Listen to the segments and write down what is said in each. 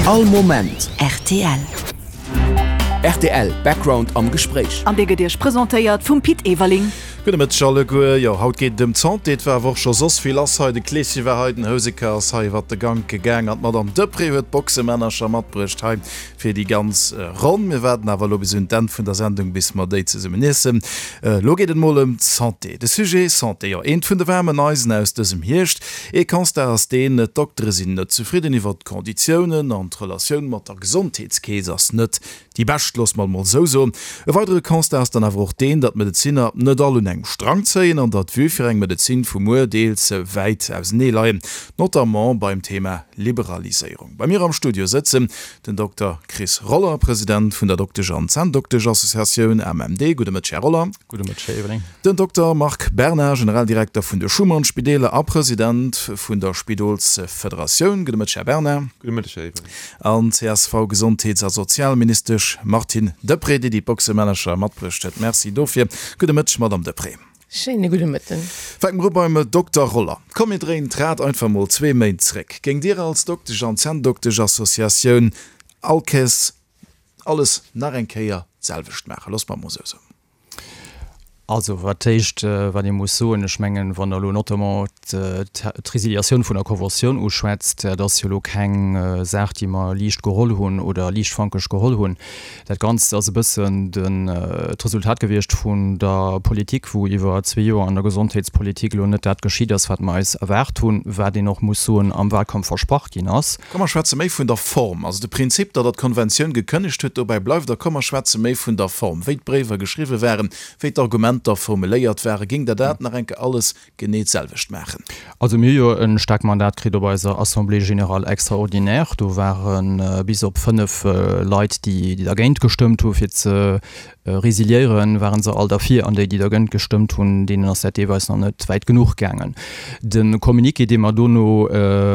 All Moment rtl. Rtl Background am Gespréich. An dee gëtt Iech presentéiert vum Pit Everling. Gudde Mëtteg alleguer. Jo, haut geet et ëm d'Santé. Et war awer och scho soss vill lass hei. De Kleesche war hei, den Houseker ass hei iwwert de Gank gegaang an d'Madame Deprez huet d'Boxemännercher matbruecht hei fir déi ganz Ronn. Mir waarden awer elo bis un d'Enn vun der Sendung, bis mer déi zesummen iessen. Elo geet et mol ëm d'Santé. De Sujet Santé, jo, eent vun de waarmen Eisen aus dësem Hierscht. Ee Constat ass deen, D'Doktere sinn net zefridden iwwert d'Konditiounen an d'Relatioun mat der Gesondheetskeess ass net déi bescht, loosse mer et mol esou soen. E weidere Constat ass dann awer och deen, datt d'Medezinner net all un engem Strang zéien an datt d'Vue fir eng Medezin vu muer deels wäit ausenee leien, notamment beim Thema Liberaliséierung. Bei mir am Studio sëtzen den Dokter Chris Roller, President vun der Doktesch an Zänndokteschassociatioun AMMD. Gudde Mëtteg, Här Roller. Gudde Mëtteg, Här Everling. Den Dokter Marc Berna, Generaldirekter vun de Schuman-Spideeler a President vun der Spidolsfederatioun. Gudde Mëtteg, Här Berna. Gudde Mëtteg, Här Everling. An d'CSV-Gesondheets a Sozialministesch Martine Deprez, déi déi Boxemännercher matbruecht huet. Merci dofir. Gudde Mëtteg, Madamm Deprez. Schéine gudde Mëtten. Fänke mer u beim Dokter Roller. Komm mir dréinen d'Rad einfach mol zwee Méint zréck. Géingt Dir als Doktesch an Zänndoktesch-Associatioun all Kéiers alles nach eng Kéier d'selwecht maachen? Loosse mer et mol esou soen. Also wat d'éischt, wat ee muss soen, ech mengen, wann Der elo notamment d'Resiliatioun vun der Conventioun uschwätzt, dat ass jo elo keng Saach, déi mer liicht geholl hunn oder liichtfankeg geholl hunn. Dat Ganzt ass e bëssen d'Resultat gewiescht vun der Politik, wou iwwer zwee Joer an der Gesondheetspolitik elo net dat geschitt ass, wat mer eis erwaart hunn, wat een och muss soen, am Wahlkampf versprach ginn ass. Komm mer schwätze méi vun der Form. Also de Prinzip, datt Der d'Konventioun gekënnegt hutt, dobäi bleift Der. Komm mer schwätze méi vun der Form, wéi d'Bréiwer geschriwwe waren, wéi d'Argumenter formuléiert waren. Géingt Der dat nach eng Kéier alles genee d'selwecht maachen? Also mir hu jo e staarkt Mandat kritt op eiser Assemblée générale extraordinaire. Do ware bis op 5 Leit, déi dergéint gestëmmt hu fir ze Resiliéieren, waren se all derfir, an déi, déi dergënt gestëmmt hunn, deenen ass dat deelweis nach net wäit genuch gaangen. De Communiqué, dee mer dono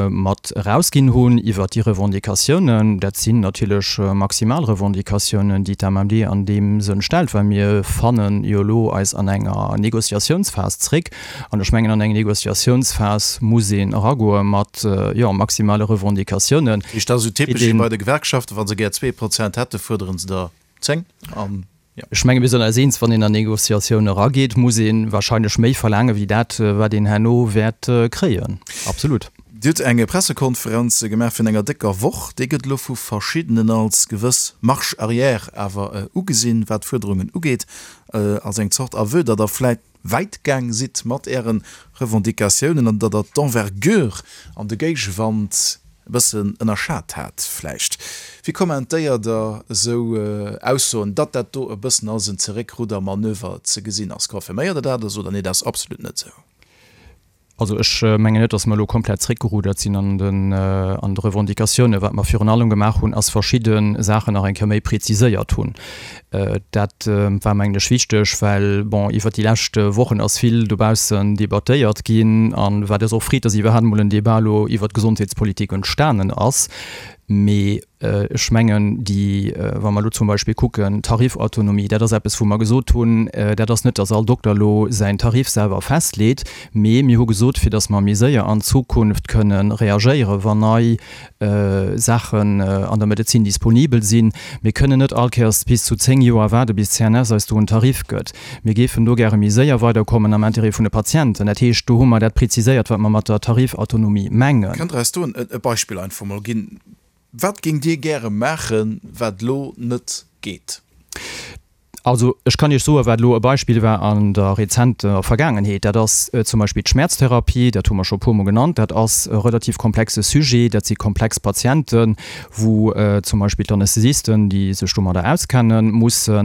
mat erausginn hunn iwwert déi Revendicatiounen, dat sinn natierlech maximal Revendicatiounen, déi d'AMMD an deem Sënn stellt, well mir fanne jo elo eis an enger Négociatiounsphas zréck. An ech mengen, an eng Négociatiounsphas muss een eragoe mat, jo, maximale Revendicatiounen. Dat ass esou typesch wéi bei de Gewerkschaften, wa se gär 2% hätten, fuerdere se der 10 an jo. Ech menge mir sinn eis eens, wann een an Négociatioun erageet, muss ee wahrscheinlech méi verlaange wéi dat, wat een herno wäert kréien. Absolut. Dir hutt eng Pressekonferenz gemaach virun enger décker Woch. Déi gëtt elo vu verschiddenen als gewëss Marche arrière awer ugesinn, wat d'Fuerderungen ugeet, als eng Zort Aveu, datt Der vläit wäit gaang sidd mat Äre Revendicatiounen an datt Der d'Envergure an de Géigewand e bëssen ënnerschat hat vläicht. Wéi kommentéiert Der esou Aussoen, datt dat do e bëssen als en Zeréckruddermanöver ze gesinn ass? Confirméiert Der dat oder sot Der, nee, dat ass absolut net esou? Also ech mengen net, datt mer elo komplett zréckgerudert sinn an den an de Revendicatiounen. Wat mer virun allem gemaach hunn, ass verschidde Saachen nach eng Kéier méi präziséiert hunn. Dat war mengen ech wichteg, well, bon, iwwert déi lescht Wochen ass vill dobaussen debattéiert ginn an wat eis och freet, datt iwwerhaapt emol en Débat elo iwwert d'Gesondheetspolitik entstanen ass. Mee ech mengen, déi, wa mer elo zum Beispill kucken, Tarifautonomie, dat ass eppes, wou mer gesot hunn, dat ass net, datt all Dokter elo säin Tarif selwer festleet, mee mir hu gesot, fir datt mer méi séier an Zukunft kënne reagéieren, wann nei Saachen an der Medezin disponibel sinn. Mir kënnen net all Kéiers bis zu 10 Joer waarde bis d'CNS eis do en Tarif gëtt. Mir géifen do gäre méi séier weiderkommen am Intérêt vun de Patienten. Dat heescht, do hu mer dat preziséiert, wat mer mat der Tarifautonomie mengen. Kënnt Der eis do e Beispill einfach mol ginn? Wat géingt Dir gäre maachen, wat elo net geet? Also ech kann Iech soen, wat elo e Beispill war an der rezenter Vergaangenheet, dat ass zum Beispill d'Schmäerztherapie, dat hu mer scho e puermol genannt. Dat ass e relativ komplexe Sujet, dat si komplex Patienten, wou zum Beispill d'Anästhesisten, déi sech domadder auskennen, musse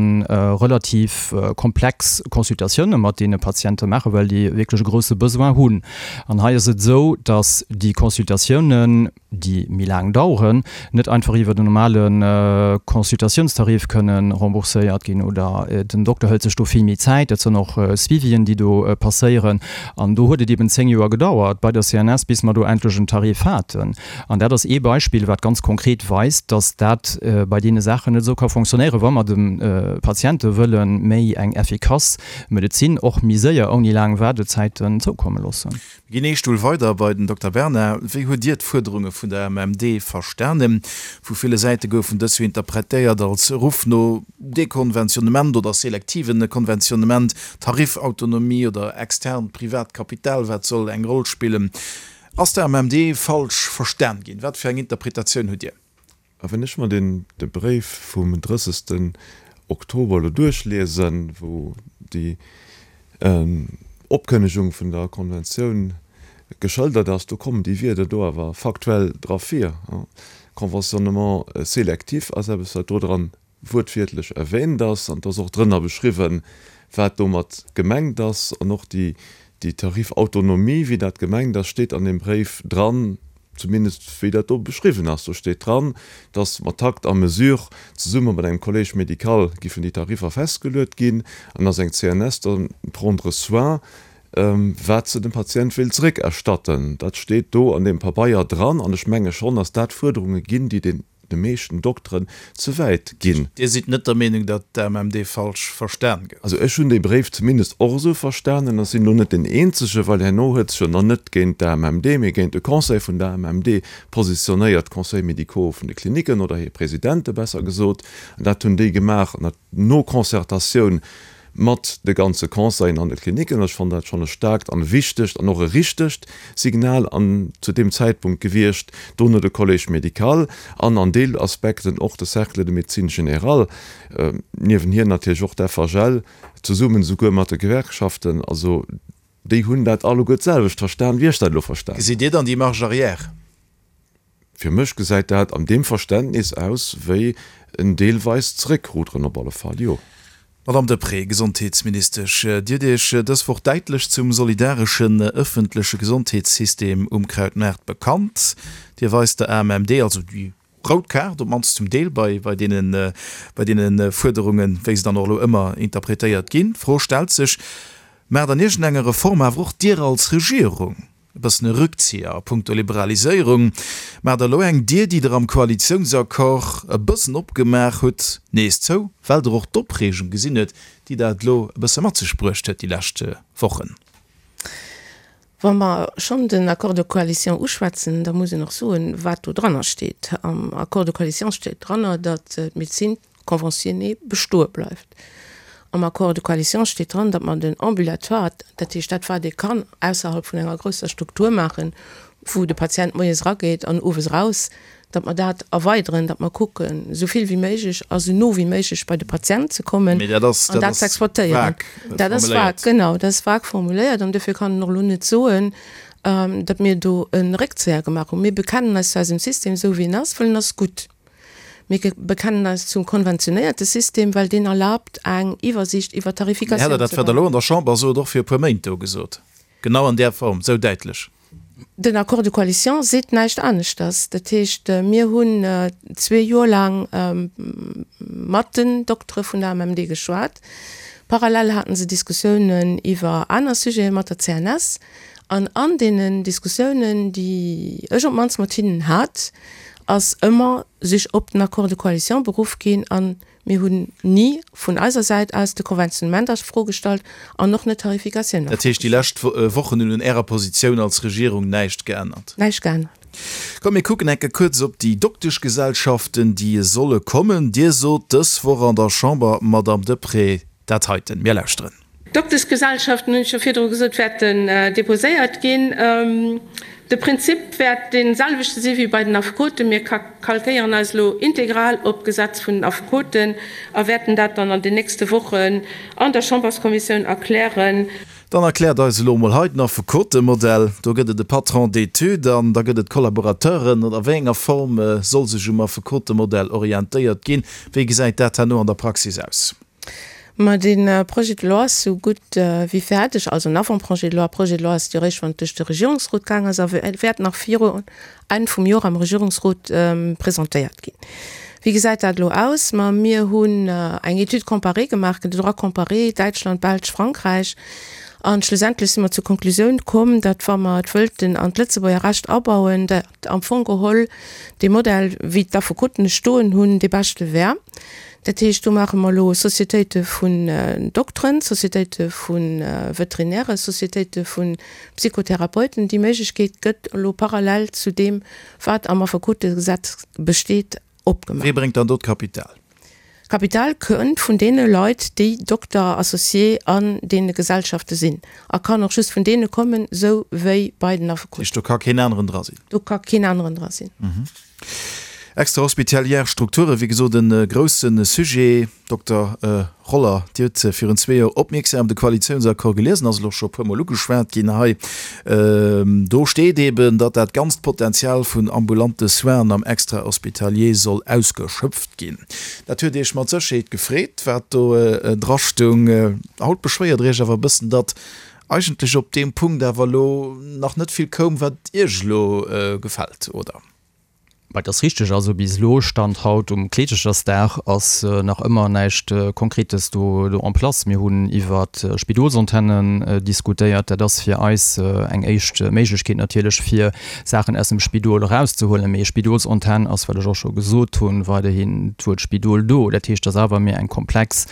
relativ komplex Consultatioune mat deene Patiente maachen, well déi wierklech e grousse Besoin hunn. An hei ass et esou, datt déi Consultatiounen, déi méi laang daueren, net einfach iwwert en normale Consultatiounstarif kënne rembourséiert ginn oder. aner. Den Dokter hëlt sech do vill méi Zäit, dat sinn och Suivien, déi do passéieren. An do huet et eben 10 Joer gedauert bei der CNS, bis mer do endlech en Tarif haten. An dat ass ee Beispill, wat ganz konkret weist, dass dat bei deene Saachen net esou ka fonctionnéieren, wa mer de Patiente wëlle méi eng effikass Medezin, och méi séier, ouni laang Waardezäiten zoukomme loossen. Mir ginn ee Stull weider bei den Dokter Bernard. Wéi hutt Dir d'Fuerderunge vun der MMD verstanen? Vu ville Säite goufen dës jo interpretéiert als Ruff no Dekonventionnement oder selektive Konventionnement, Tarifautonomie oder externt privat Kapital, wat soll eng Roll spillen. Ass d'AMMD falsch verstan ginn? Wat fir eng Interpretatioun hutt Dir? A wann ech mer deen de Bréif vum 30. Oktober elo duerchliesen, wou déi Opkënnegung vun der Konventioun geschëldert ass, do kommen déi Wierder do awer faktuell dra vir. Conventionnement sélectif ass eppes, wat do dran wuertwiertlech erwähnt ass, an et ass och drënner beschriwwen, wat domat gemengt ass, an och déi Tarifautonomie, wéi dat gemengt ass, steet an deem Bréif dran, zumindest wéi dat do beschriwwen ass. Do steet dran, dass mat Takt a Mesure zesumme mat engem Collège médical giffen déi Tariffer festgeluet ginn, an dass eng CNS da prendre soin, wat se dem Patient wéilt zeréckerstatten. Dat steet do an deem Pabeier dran, an ech menge schonn, dass dat Fuerderunge ginn, déi den. de meeschten Dokteren ze wäit ginn. Dir sidd net der Meenung, datt d'AMMD falsch verstan gouf? Also ech hunn dee Bréif zumindest och esou verstanen a sinn elo net deen Eenzege, well herno huet sech jo nach net géint d'AMMD, mee géint de Conseil vun der AMMD positionéiert, d'Conseils médicaux vun de Klinicken oder hir Presidente besser gesot. An dat hunn déi gemaach no Concertatioun mat de ganze Conseilen an de Klinicken. Ech fannen dat schonn e staarkt an e wichtegt an och e richtegt Signal an zu deem Zäitpunkt gewiescht. Dono de Collège médical an an Deelaspekten och de Cercle de médecine générale, niewen hir natierlech och d'FHL, zesummen esouguer mat de Gewerkschaften. Also déi hunn dat alleguer d'selwecht verstan, wéi ech dat elo verstan hunn. Gesitt Dir dann déi Marge arrière? Fir mech gesäit dat an deem Verständnis aus wéi en deelweist Zeréckruderen op alle Fall, jo. Madame Deprez, Gesondheetsministesch, Dir hutt Iech dës Woch däitlech zum solidareschen ëffentleche Gesondheetssystem um Krautmaart bekannt. Dir weist der AMMD also déi rout Kaart, op d'mannst zum Deel bei bei deene bei deene Fuerderungen, wéi se dann och elo ëmmer interpretéiert ginn. D'Fro stellt sech, Maacht an iergendenger Reform awer och Dir als Regierung E bëssen e Rückzieher a punkto Liberaliséierung. Maacht der elo eng Dier, déi der am Koalitiounsaccord e bëssen opgemaach hutt, nees zou, well der och d'Opreegung gesinn huet, déi dat elo e bësse mat sech bruecht huet déi lescht Wochen? Wa mer schonn den Accord de coalition uschwätzen, da muss een och soen, wat do dranner steet. Am Accord de coalition steet dranner, datt d'Medezin conventionnée bestoe bleift. Am Accord de coalition steet dran, datt mer den Ambulatoire, dat heescht dat wat ee kann ausserhalb vun enger grousser Struktur maachen, wou de Patient moies erageet an owes eraus, datt mer dat erweideren, datt mer kucken, esou vill wéi méiglech a sou no wéi méiglech bei de Patient ze kommen Mee dat ass, an dat dat ze ass exploitéieren. vag Dat ass formuléiert. vag, genau, dat ass vag formuléiert an dofir kann een och elo net soen, datt mir do e Réckzéier gemaach hunn. Mir bekennen eis zu eisem System esou wéi en ass, well en ass gutt. Mir bekennen eis zum konventionéierte System, well deen erlaabt eng Iwwersiicht iwwer Mee hätt d'Tarifikatioun Der dat, ze wat Der elo maachen. an der Chamber sot, och fir e puer Méint do gesot? Genau an där Form, esou däitlech? Den Accord de coalition seet näischt aneschters. Dat heescht, mir hunn zwee Joer laang mat den Doktere vun der AMMD geschwat. Parallel haten se Diskussiounen iwwer aner Sujete mat der CNS. An an deenen Diskussiounen, déi ech op d'mannst mat hinnen hat, ass ëmmer sech op den Accord de coalition beruff ginn a mir hunn ni vun eiser Säit aus de Konventionnement a Fro gestallt an och net d'Tarifikatioun a Dat Fro heescht, déi gestallt. lescht Wochen hunn un Ärer Positioun als Regierung näischt geännert? Näischt geännert. Komm, mir kucken enke kuerz op déi Dokteschgesellschaften, déi solle kommen. Dir sot dës Woch an der Chamber, Madamm Deprez, dat heiten. Mir lauschteren. D'Dokteschgesellschaften, hunn ech jo virdru gesot, wäerten deposéiert ginn. De Prinzip wäert dee selwechte si wéi bei den Affekoten. Mir kalkéieren eis elo integral op d'Gesetz vun den Affekoten a wäerten dat dann an den nächste Wochen an der Chamberskommissioun erklären. Dann erkläert eis elo emol hei den Affekotemodell. Do gëtt et e Patron d'études an da gëtt et Collaborateuren. Oder a wéi enger Form soll sech um Affekotemodell orientéiert ginn? Wéi gesäit dat herno an der Praxis aus? Ma dee Projet de loi ass sou gutt wéi fäerdeg, also en Avant-projet de loi. Projet de loi ass et jo eréischt, wann et duerch de Regierungsrot gaang ass a wäert nach viru Enn vum Joer am Regierungsrot presentéiert ginn. Wéi gesäit dat elo aus? Ma mir hunn eng Étude comparée gemaach, de Droit comparé, Däitschland, Belsch, Frankräich, a schlussendlech si mer zur Konklusioun komm, datt wa mer et wëllten an d'Lëtzebuerger Recht abauen, datt am Fong geholl dee Modell, wéi d'Affekoten e stoen hunn, dee beschte wär. Dat heescht, do maache mer elo Societéite vun Dokteren, Societéite vu Veterinären, Societéite vu Psychotherapeuten. Déi Méiglechkeet gëtt elo parallel zu deem, wat am Affekotegesetz besteet, opgemaach. Wee bréngt dann do d'Kapital? D'Kapital kënnt vun deene Leit, déi Dokter associé an deene Gesellschafte sinn a kann och just vun deene kommen, sou wéi bei den Affekoten. Dat heescht, do ka keen aneren dra sinn? Do ka keen aneren dra sinn. Extrahospitalière Strukturen, wéi gesot e grousse Sujet. Dokter Roller, Dir hutt virun zwee Joer opmierksam de Koalitiounsaccord geliesen, ass elo scho e puermol ugeschwat ginn hei. Do steet eeben, datt dat ganzt Potenzial vun ambulante Soinen am Extrahospitalier soll ausgeschöpft ginn. Dat huet Iech mat Sécherheet gefreet, wat do drastoung. Haut beschwéiert Der Iech awer e bëssen, datt eigentlech op deem Punkt awer elo nach net vill koum, wat Iech elo gefält, oder? Et ass richteg, also bis elo, Stand haut um Kleeschechersdag, ass nach ëmmer näischt Konkretes do en place. Mir hunn iwwer Spidolsantennen diskutéiert. Dat ass fir eis eng éischt Méiglechkeet natierlech, fir Saachen aus dem Spidol erauszehuelen. Mee Spidolsantenn ass, wat ech och scho gesot hunn, weiderhin d'Wuert Spidol do. Dat heescht, et ass awer méi eng komplex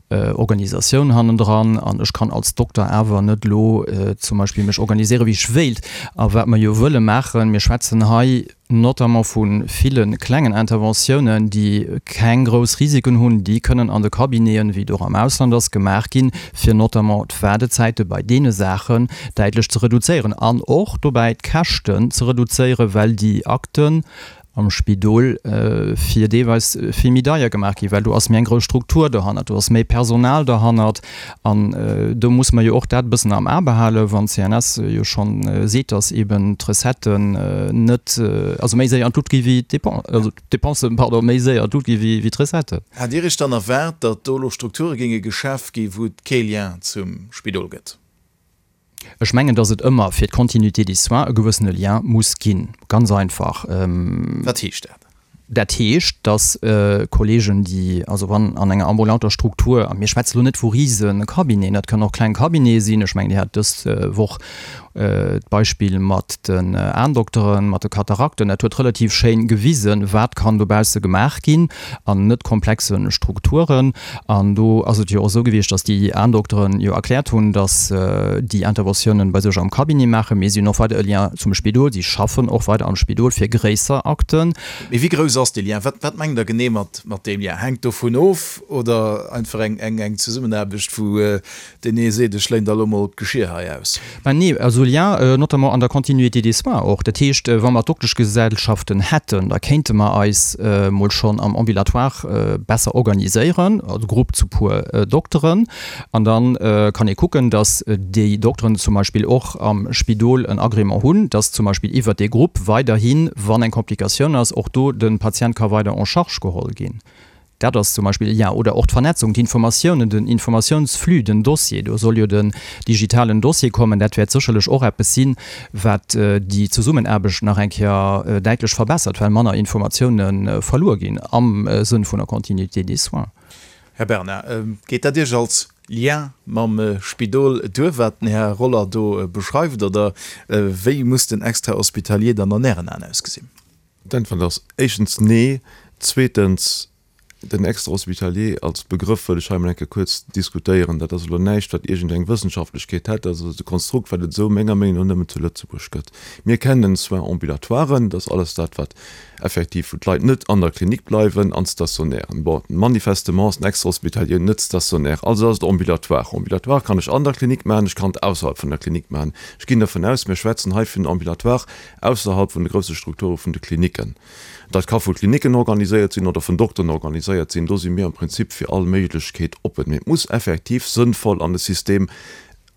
Organisatioun hannendran an ech kann als Dokter awer net elo zum Beispill mech organiséieren, wéi ech wéilt. A wat mer jo wëlle maachen, mir schwätzen hei notamment vu ville klengen Interventiounen, déi keng grouss Risiken hunn, déi kënnen an de Cabineten, wéi et och am Ausland ass, gemaach ginn, fir notamment d'Waardezäite bei deene Saachen däitlech ze reduzéieren an och dobäi d'Käschten ze reduzéieren, well déi Akten am Spidol fir deelweis vill méi deier gemaach ginn, well do ass méi eng grouss Struktur dohannert, do ass méi Personal dohannert an do muss mer jo och dat e bëssen am A behalen, wann d'CNS jo schonn seet, datt eeben d'Recetten net, also méi séier an d'Lut gi wéi d'Dépensen, also d'Dépensen, pardon, méi séier an d'Lut gi wéi d'Recetten. Hat Dir Iech dann erwaart, datt do elo Strukture géinge geschaf gi wou et kee Lien zum Spidol gëtt? Ech mengen, dass et ëmmer fir d'Continuité des soins e gewëssene Lien muss ginn. Ganz einfach. Wat heescht dat? Dat heescht, dass Kollegen, déi also wann an enger ambulanter Struktur, a mir schwätze lo net vu rise Cabineten, dat kënnen och kleng Cabinete sinn, ech mengen, Dir hat dës Woch d'Beispill mat den Aendokteren, mat de Katarakten, dat huet relativ schéin gewisen, wat kann dobausse gemaach ginn an net komplexe Strukturen. An do ass et jo och esou gewiescht, datt déi Aendokteren jo erkläert hunn, datt déi Interventiounen bei sech am Cabinet maachen, mee si hunn och weider e Lien zum Spidol, si schaffen och weider am Spidol fir gréisser Akten. Mee wéi grouss ass dee Lien? Wat wat mengt Der genee mat mat deem Lien? Hänkt dovun of oder einfach eng eng eng Zesummenaarbecht, wou deen ee seet, ech léin der elo mol d'Geschier hei aus? Ben nee, also Lien notamment an der Continuité des soins och. Dat heescht, wa mer Dokteschgesellschaften hätten, da kéinte mer eis mol schonn am Ambulatoire besser organiséieren, also Grupp zu puer Dokteren. An da kann ee kucken, datt déi Dokteren zum Beispill och am Spidol en Agrément hunn, datt zum Beispill iwwert dee Grupp weiderhin, wann eng Komplikatioun ass, och do de Patient ka weider en charge geholl ginn. Dat ass zum Beispill e Lien. Oder och d'Vernetzung, d'Informatiounen, den Informatiounsflux, den Dossier. Do soll jo den digitalen Dossier kommen. Dat wäert sécherlech och eppes sinn, wat déi Zesummenaarbecht nach eng Kéier däitlech verbessert, well manner Informatioune verluer ginn am Sënn vun der Continuité des soins. Här Bernard, geet dat Iech als Lien mam Spidol duer, wat den Här Roller do beschreift, oder wéi muss den Extra-hospitalier dann an Ären Aen ausgesinn? D'Äntwert ass éischtens nee. Zweetens, den Extra-hospitalier als Begrëff wëll ech hei emol eng Kéier kuerz diskutéieren. Dat ass elo näischt, wat iergendeng Wëssenschaftlechkeet hätt. Dat ass e Konstrukt, wat et esou menger Meenung no nëmmen zu Lëtzebuerg gëtt. Mir kennen Soins ambulatoires, dat ass alles dat, wat effektiv, wou d'Leit net an der Klinik bleiwen, an d'Stationären. Bon, manifestement ass den Extra-hospitalier net stationär, also ass et ambulatoire. Ambulatoire kann ech an der Klinik maachen, ech kann et ausserhalb vun der Klinik maachen. Ech ginn dervun aus, mir schwätzen hei vun Ambulatoire ausserhalb vun de grousse Strukture vun de Klinicken. Dat ka vu Klinicken organiséiert sinn oder vun Dokteren organiséiert sinn. Do si mir am Prinzip fir all Méiglechkeet oppen. Mee et muss effektiv sënnvoll an de System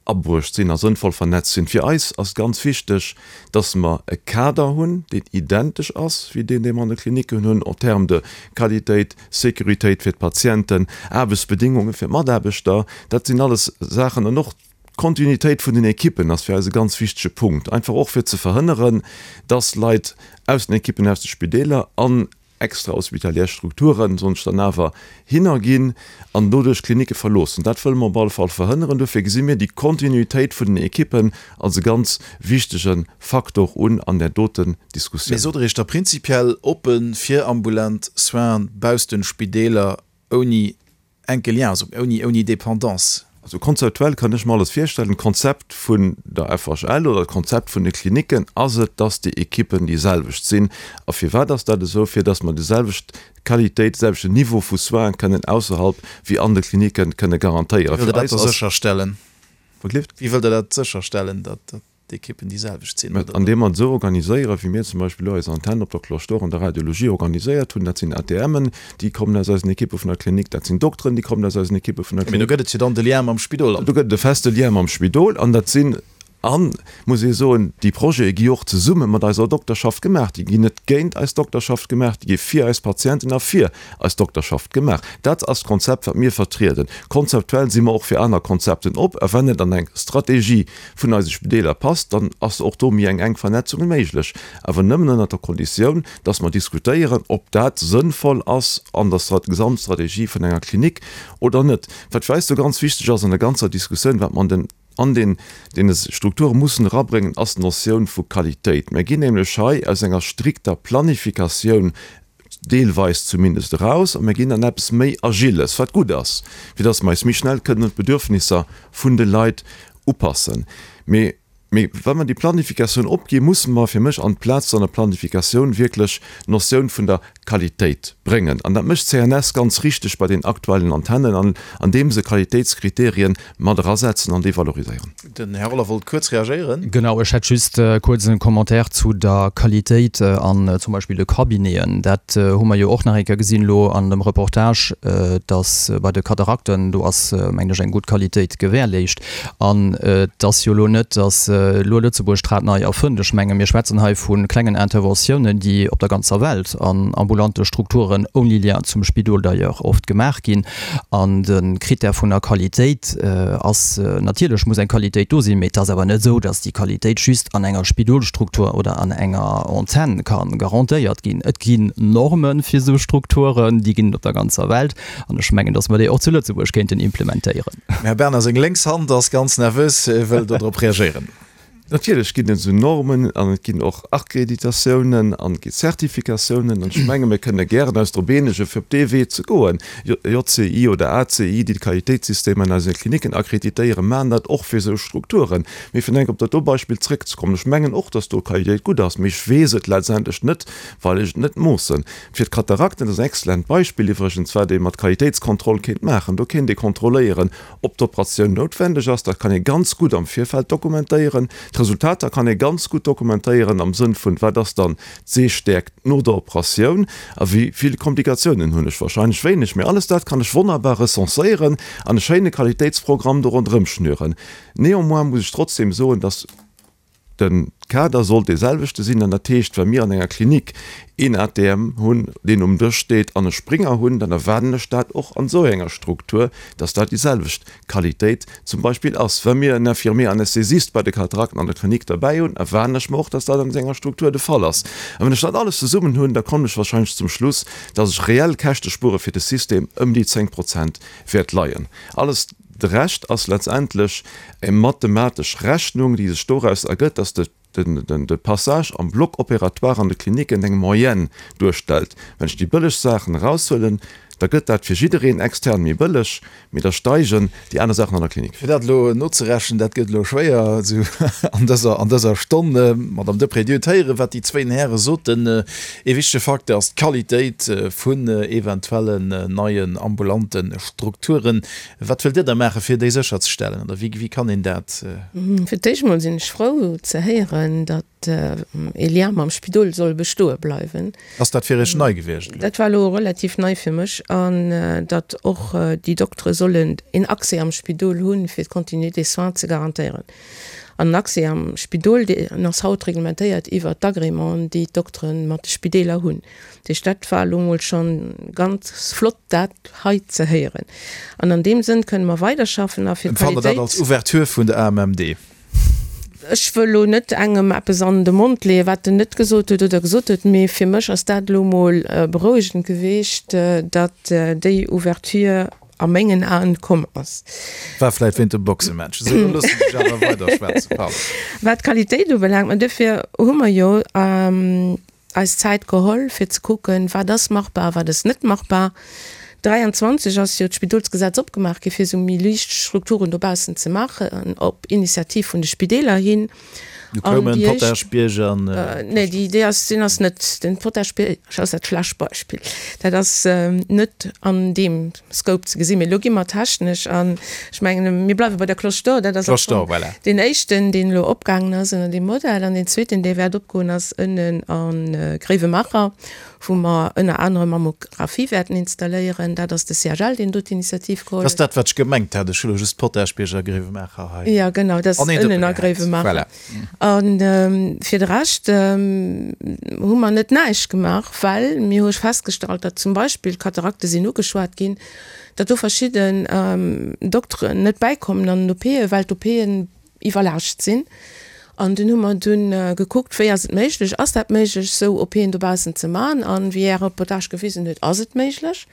abruecht sinn a sënnvoll vernetzt sinn. Fir eis ass ganz wichteg, dass mer e Kader hunn, deen identesch ass wéi deen, dee mer an de Klinicken hunn en termes de Qualitéit, Sécuritéit fir d'Patienten, Aarbechtsbedéngunge fir d'Mataarbechter. Dat sinn alles Saachen an och D'Kontinuitéit vun den Ekippen ass fir eis e ganz wichtege Punkt, einfach och fir ze verhënneren, dass Leit aus den Ekippen aus de Spideeler an. extrahospitalière Strukturen, soen ech dann awer, hinnerginn an doduerch d'Klinicke verloossen. Dat wëlle mer op alle Fall verhënneren. Dofir gesi mir déi Kontinuitéit vun den Ekippen als e ganz wichtege Faktor un an där doten Diskussioun. Mee sot Der Iech da prinzipiell oppe fir ambulant Soinen bausst den Spideeler ouni enke Lien, also ouni, ouni Dépendance? Also konzeptuell kann ech mer alles virstellen. D'Konzept vun der FHL oder d'Konzept vun de Klinicken ass et, dass déi Ekippen déi selwecht sinn. A firwat ass dat esou? Fir dass mer déi selwecht Qualitéit, de selwechten Niveau vu Soinen kënnen ausserhalb wéi an de Klinicken kënne garantéieren. Wéi wëllt Der dat da sécherstellen? Wéi wëllt Der dat sécherstellen, datt d'Ekippen déi selwecht sinn? Mä andeem mer et esou organiséieren, wéi mir zum Beispill elo eis Antenn op der Cloche d'Or an der Radiologie organiséiert hunn, dat sinn ATMen, déi kommen aus eisen Ekippe vun der Klinik, dat sinn Dokteren, déi kommen aus eisen Ekippe vun der Klinik. Mee do gëtt et jo dann de Lien mam Spidol. Do gëtt et e feste Lien mam Spidol an dat sinn, an, muss ee soen, déi Projete gi och zesumme mat eiser Dokterschaft gemaach. Déi ginn net géint eis Dokterschaft gemaach, déi gi fir eis Patienten a fir eis Dokterschaft gemaach. Dat ass d'Konzept, wat mir vertrieden. Konzeptuell si mer och fir aner Konzepten op. A wann et an eng Strategie vun eise Spideeler passt, dann ass och do méi eng enk Vernetzung méiglech, awer nëmmen ënnert der Konditioun, dass mer diskutéieren, ob dat sënnvoll ass an der Gesamtstrategie vun enger Klinik oder net. Wat fir eis do ganz wichteg ass an der ganzer Diskussioun, wat mer an den an den deene Strukture mussen erabréngen, ass d'Notioun vu Qualitéit. Mir ginn nämlech hei aus enger strikter Planifikatioun deelweis zumindest, eraus a mir ginn an eppes méi Agiles, wat gutt ass, fir dass mer eis méi schnell kënnen un d'Bedürfnisser vun de Leit upassen. Mee, mee wa mer déi Planifikatioun opginn, musse mer fir mech an d'Plaz an der Planifikatioun wierklech d'Notioun vun der Qualitéit bréngen. An dat mécht d'CNS ganz richteg bei den aktuellen Antennen, an andeem se Qualitéitskriterien mat erasetzen an déi valoriséieren. Den Här Roller wollt kuerz reagéieren. Genau, ech hätt just kuerz e Commentaire zu der Qualitéit an zum Beispill de Cabineten. Dat hu mer jo och nach eng Kéier gesinn elo an dem Reportage, dass bei de Katarakten, do ass, mengen ech, eng gutt Qualitéit gewährleescht. An et ass jo elo net, dass elo Lëtzebuerg d'Rad nei erfënnt. Ech menge mir schwätzen hei vu klengen Interventiounen, déi op der ganzer Welt an ambulante Strukturen ouni Lien zum Spidol d'ailleurs oft gemaach ginn. An de Critère vun der Qualitéit ass, natierlech muss eng Qualitéit do sinn, mee et ass awer net esou, dass déi Qualitéit just an enger Spidolstruktur oder an enger Antenn ka garantéiert ginn. Et ginn Norme fir esou Strukturen, déi ginn et op der ganzer Welt. An ech mengen, dass mer déi och zu Lëtzebuerg kéinten implementéieren. Dem Här Bernard seng lénks Hand ass ganz nervös, e wëll do drop reagéieren. Natierlech ginn et esou Normen an et ginn och Akkreditatiounen an et gi Zertifikatiounen. An ech menge mir kënne gären eis drop eenege fir op dee Wee ze goen. JCI oder ACI, déi d'Qualitéitssystemer an eise Klinicken akkreditéieren, maachen dat och fir esou Strukturen. Mee fir enk op dat do Beispill zrëckzekommen, ech mengen och, datt do d'Qualitéit gutt ass, mee ech weess et letztendlech net, well ech et net moossen. Fir d'Katarakten, dat ass en exzellent Beispill iwwregens, wat ee mat Qualitéitskontroll kéint maachen, do kéint ee kontrolléieren, ob d'Operatioun noutwendeg ass. Dat kann ee ganz gutt am Virfeld dokumentéieren. D'Resultater kann ee ganz gutt dokumentéieren am Sënn vun, wat ass dann d'Sehstäerkt no der Operatioun a wéi vill Komplikatiounen hunn ech, wahrscheinlech wéineg, mee alles dat kann ech wonnerbar recenséieren an e schéine Qualitéitsprogramm do ronderëm schnüren. Néanmoins muss ech trotzdem soen, dass. De Kader sollt dee selwechte sinn, an dat heescht, wa mir an enger Klinik een ATM hunn, deen um Dësch steet, an e Springer hunn, dann erwaarden ech dat och an esou enger Struktur, dass dat déi selwecht Qualitéit zum Beispill ass. Wa mir en Infirmier anesthésiste bei de Katarakten an der Klinik derbäi hunn, erwaarden ech mer och, dass dat an esou enger Struktur de Fall ass. A wann ech dat alles zesummen hunn, da kommen ech wahrscheinlech zum Schluss, dass ech reell Käschtespuere fir de System ëm déi 10 Prozent wäert leien. Alles. De Rescht ass letztendlech eng mathematesch Rechnung, déi sech doraus ergëtt, dass de Passage am Bloc opératoire an de Klinicken eng Moyenne duerstellt. Wann ech déi bëlleg Saachen eraushuelen, da gëtt dat fir jiddereen extern méi bëlleg, mee da steigen déi aner Saachen an der Klinik. Fir dat elo nozerechnen, dat gëtt elo schwéier esou an dëser, an dëser Stonn. Madame Deprez, Dir hutt héieren, wat déi zwéin Häre soten. Ee wichtege Facteur ass d'Qualitéit vun eventuellen neien ambulante Strukturen. Wat wëllt Dir da maachen, fir déi sécherzestellen, oder wéi kann een dat? Fir d'éischt emol sinn ech frou ze héieren, datt ee Lien mam Spidol soll bestoe bleiwen. Ass dat fir Iech nei gewiescht elo? Dat war elo relativ nei fir mech. An datt och déi Doktere sollen een Accès am Spidol hunn, fir d'Continuité des soins ze garantéieren. An den Accès am Spidol, deen ass haut reglementéiert iwwert d'Agrémenten, déi d'Doktere mat de Spideeler hunn. Dat heescht, dat war elo mol schonn ganz flott, dat hei ze héieren. An an deem Sënn kënne mer weiderschaffen a fir Empfannt Der dat d'Qualitéit. als Ouverture vun der AMMD? Ech wëll elo net engem eppes an de Mond leeën, wat en net gesot huet oder gesot huet, mee fir mech ass dat elo emol berouegend geweecht, datt déi Ouverture a mengen Aen komm ass. War vläit wéint dem Boxematch. Esou, da loossen ech dech awer weider schwätzen, pardon. Wat d'Qualitéit ubelaangt, mä duerfir hu mer jo eis Zäit geholl, fir ze kucken, wat ass machbar, wat ass net machbar. 23 ass jo d'Spidolsgesetz opgemaach gi fir esou méi liicht Strukturen dobaussen ze maachen, op Initiativ vun de Spideeler hin. Du koumen Potaschbierg an. Nee, déi déi ass, deen ass net, den Potaschbierg ass dat schlecht Beispill. Dat ass net an deem Scope ze gesinn. Mee elo gi mer technesch an ech mengen, mir bleiwe bei der Cloche d'Or. Dat ass am Cloche d'Or, voilà. Deen éischten, deen elo opgaangen ass ënner deem Modell an deen zweeten, dee wäert opgoen, ass ënnen a Gréiwemaacher, wou mer ënner anerem Mammographie wäerten installéieren. Dat ass de CHL, deen do d'Initiativ geholl Dat ass dat, wat ech gemengt hat. Ech hu elo just Potaschbierg a Gréiwemaacher hei. Jo, genau, dat ass ënnen a Gréiwemaacher. Voilà. A fir de Rescht hu mer net näischt gemaach, well mir hu festgestallt, datt zum Beispill, d'Katarakte sinn ugeschwat ginn, datt do verschidden Dokteren net bäikommen an den OPen, well d'OPen iwwerlaascht sinn. An dunn hu mer dunn gekuckt, wéi ass et méiglech, ass dat méiglech, esou OPen dobaussen ze man? An wéi Är Reportage gewisen huet, ass et méiglech.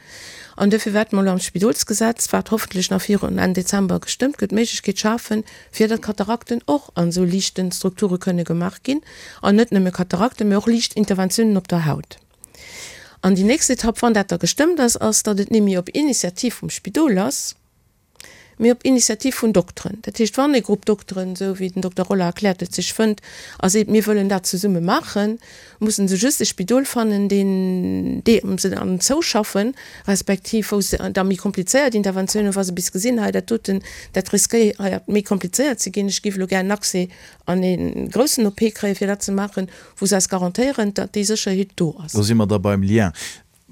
An duerfir wäerte mer elo am Spidolsgesetz, wat hoffentlech nach virun Enn Dezember gestëmmt gëtt, d'Méiglechkeet schafen, fir datt Katarakten och an esou liichten Strukture kënne gemaach ginn. An net nëmme Katarakten, mä och liicht Interventiounen op der Haut. An déi nächst Etapp, wann dat da gestëmmt ass, ass, datt et némme op Initiativ vum Spidol ass, mee op Initiativ vun Dokteren. Dat heescht, wann e Grupp Dokteren, esou wéi den Dokter Roller erkläert huet, sech fënnt a seet, mir wëllen dat zesumme maachen, mussen se just e Spidol fannen, deen deem se dann zouschaffen, respektiv wou se da méi komplizéiert Interventiounen, wa se bis gesinn, hei dat doten, dat riskéiert méi komplizéiert ze ginn, ech géif elo gär en Accès an e groussen OP kréien, fir dat ze maachen, wou se eis garantéieren, datt déi Sécherheet do ass. Do si mer da beim Lien.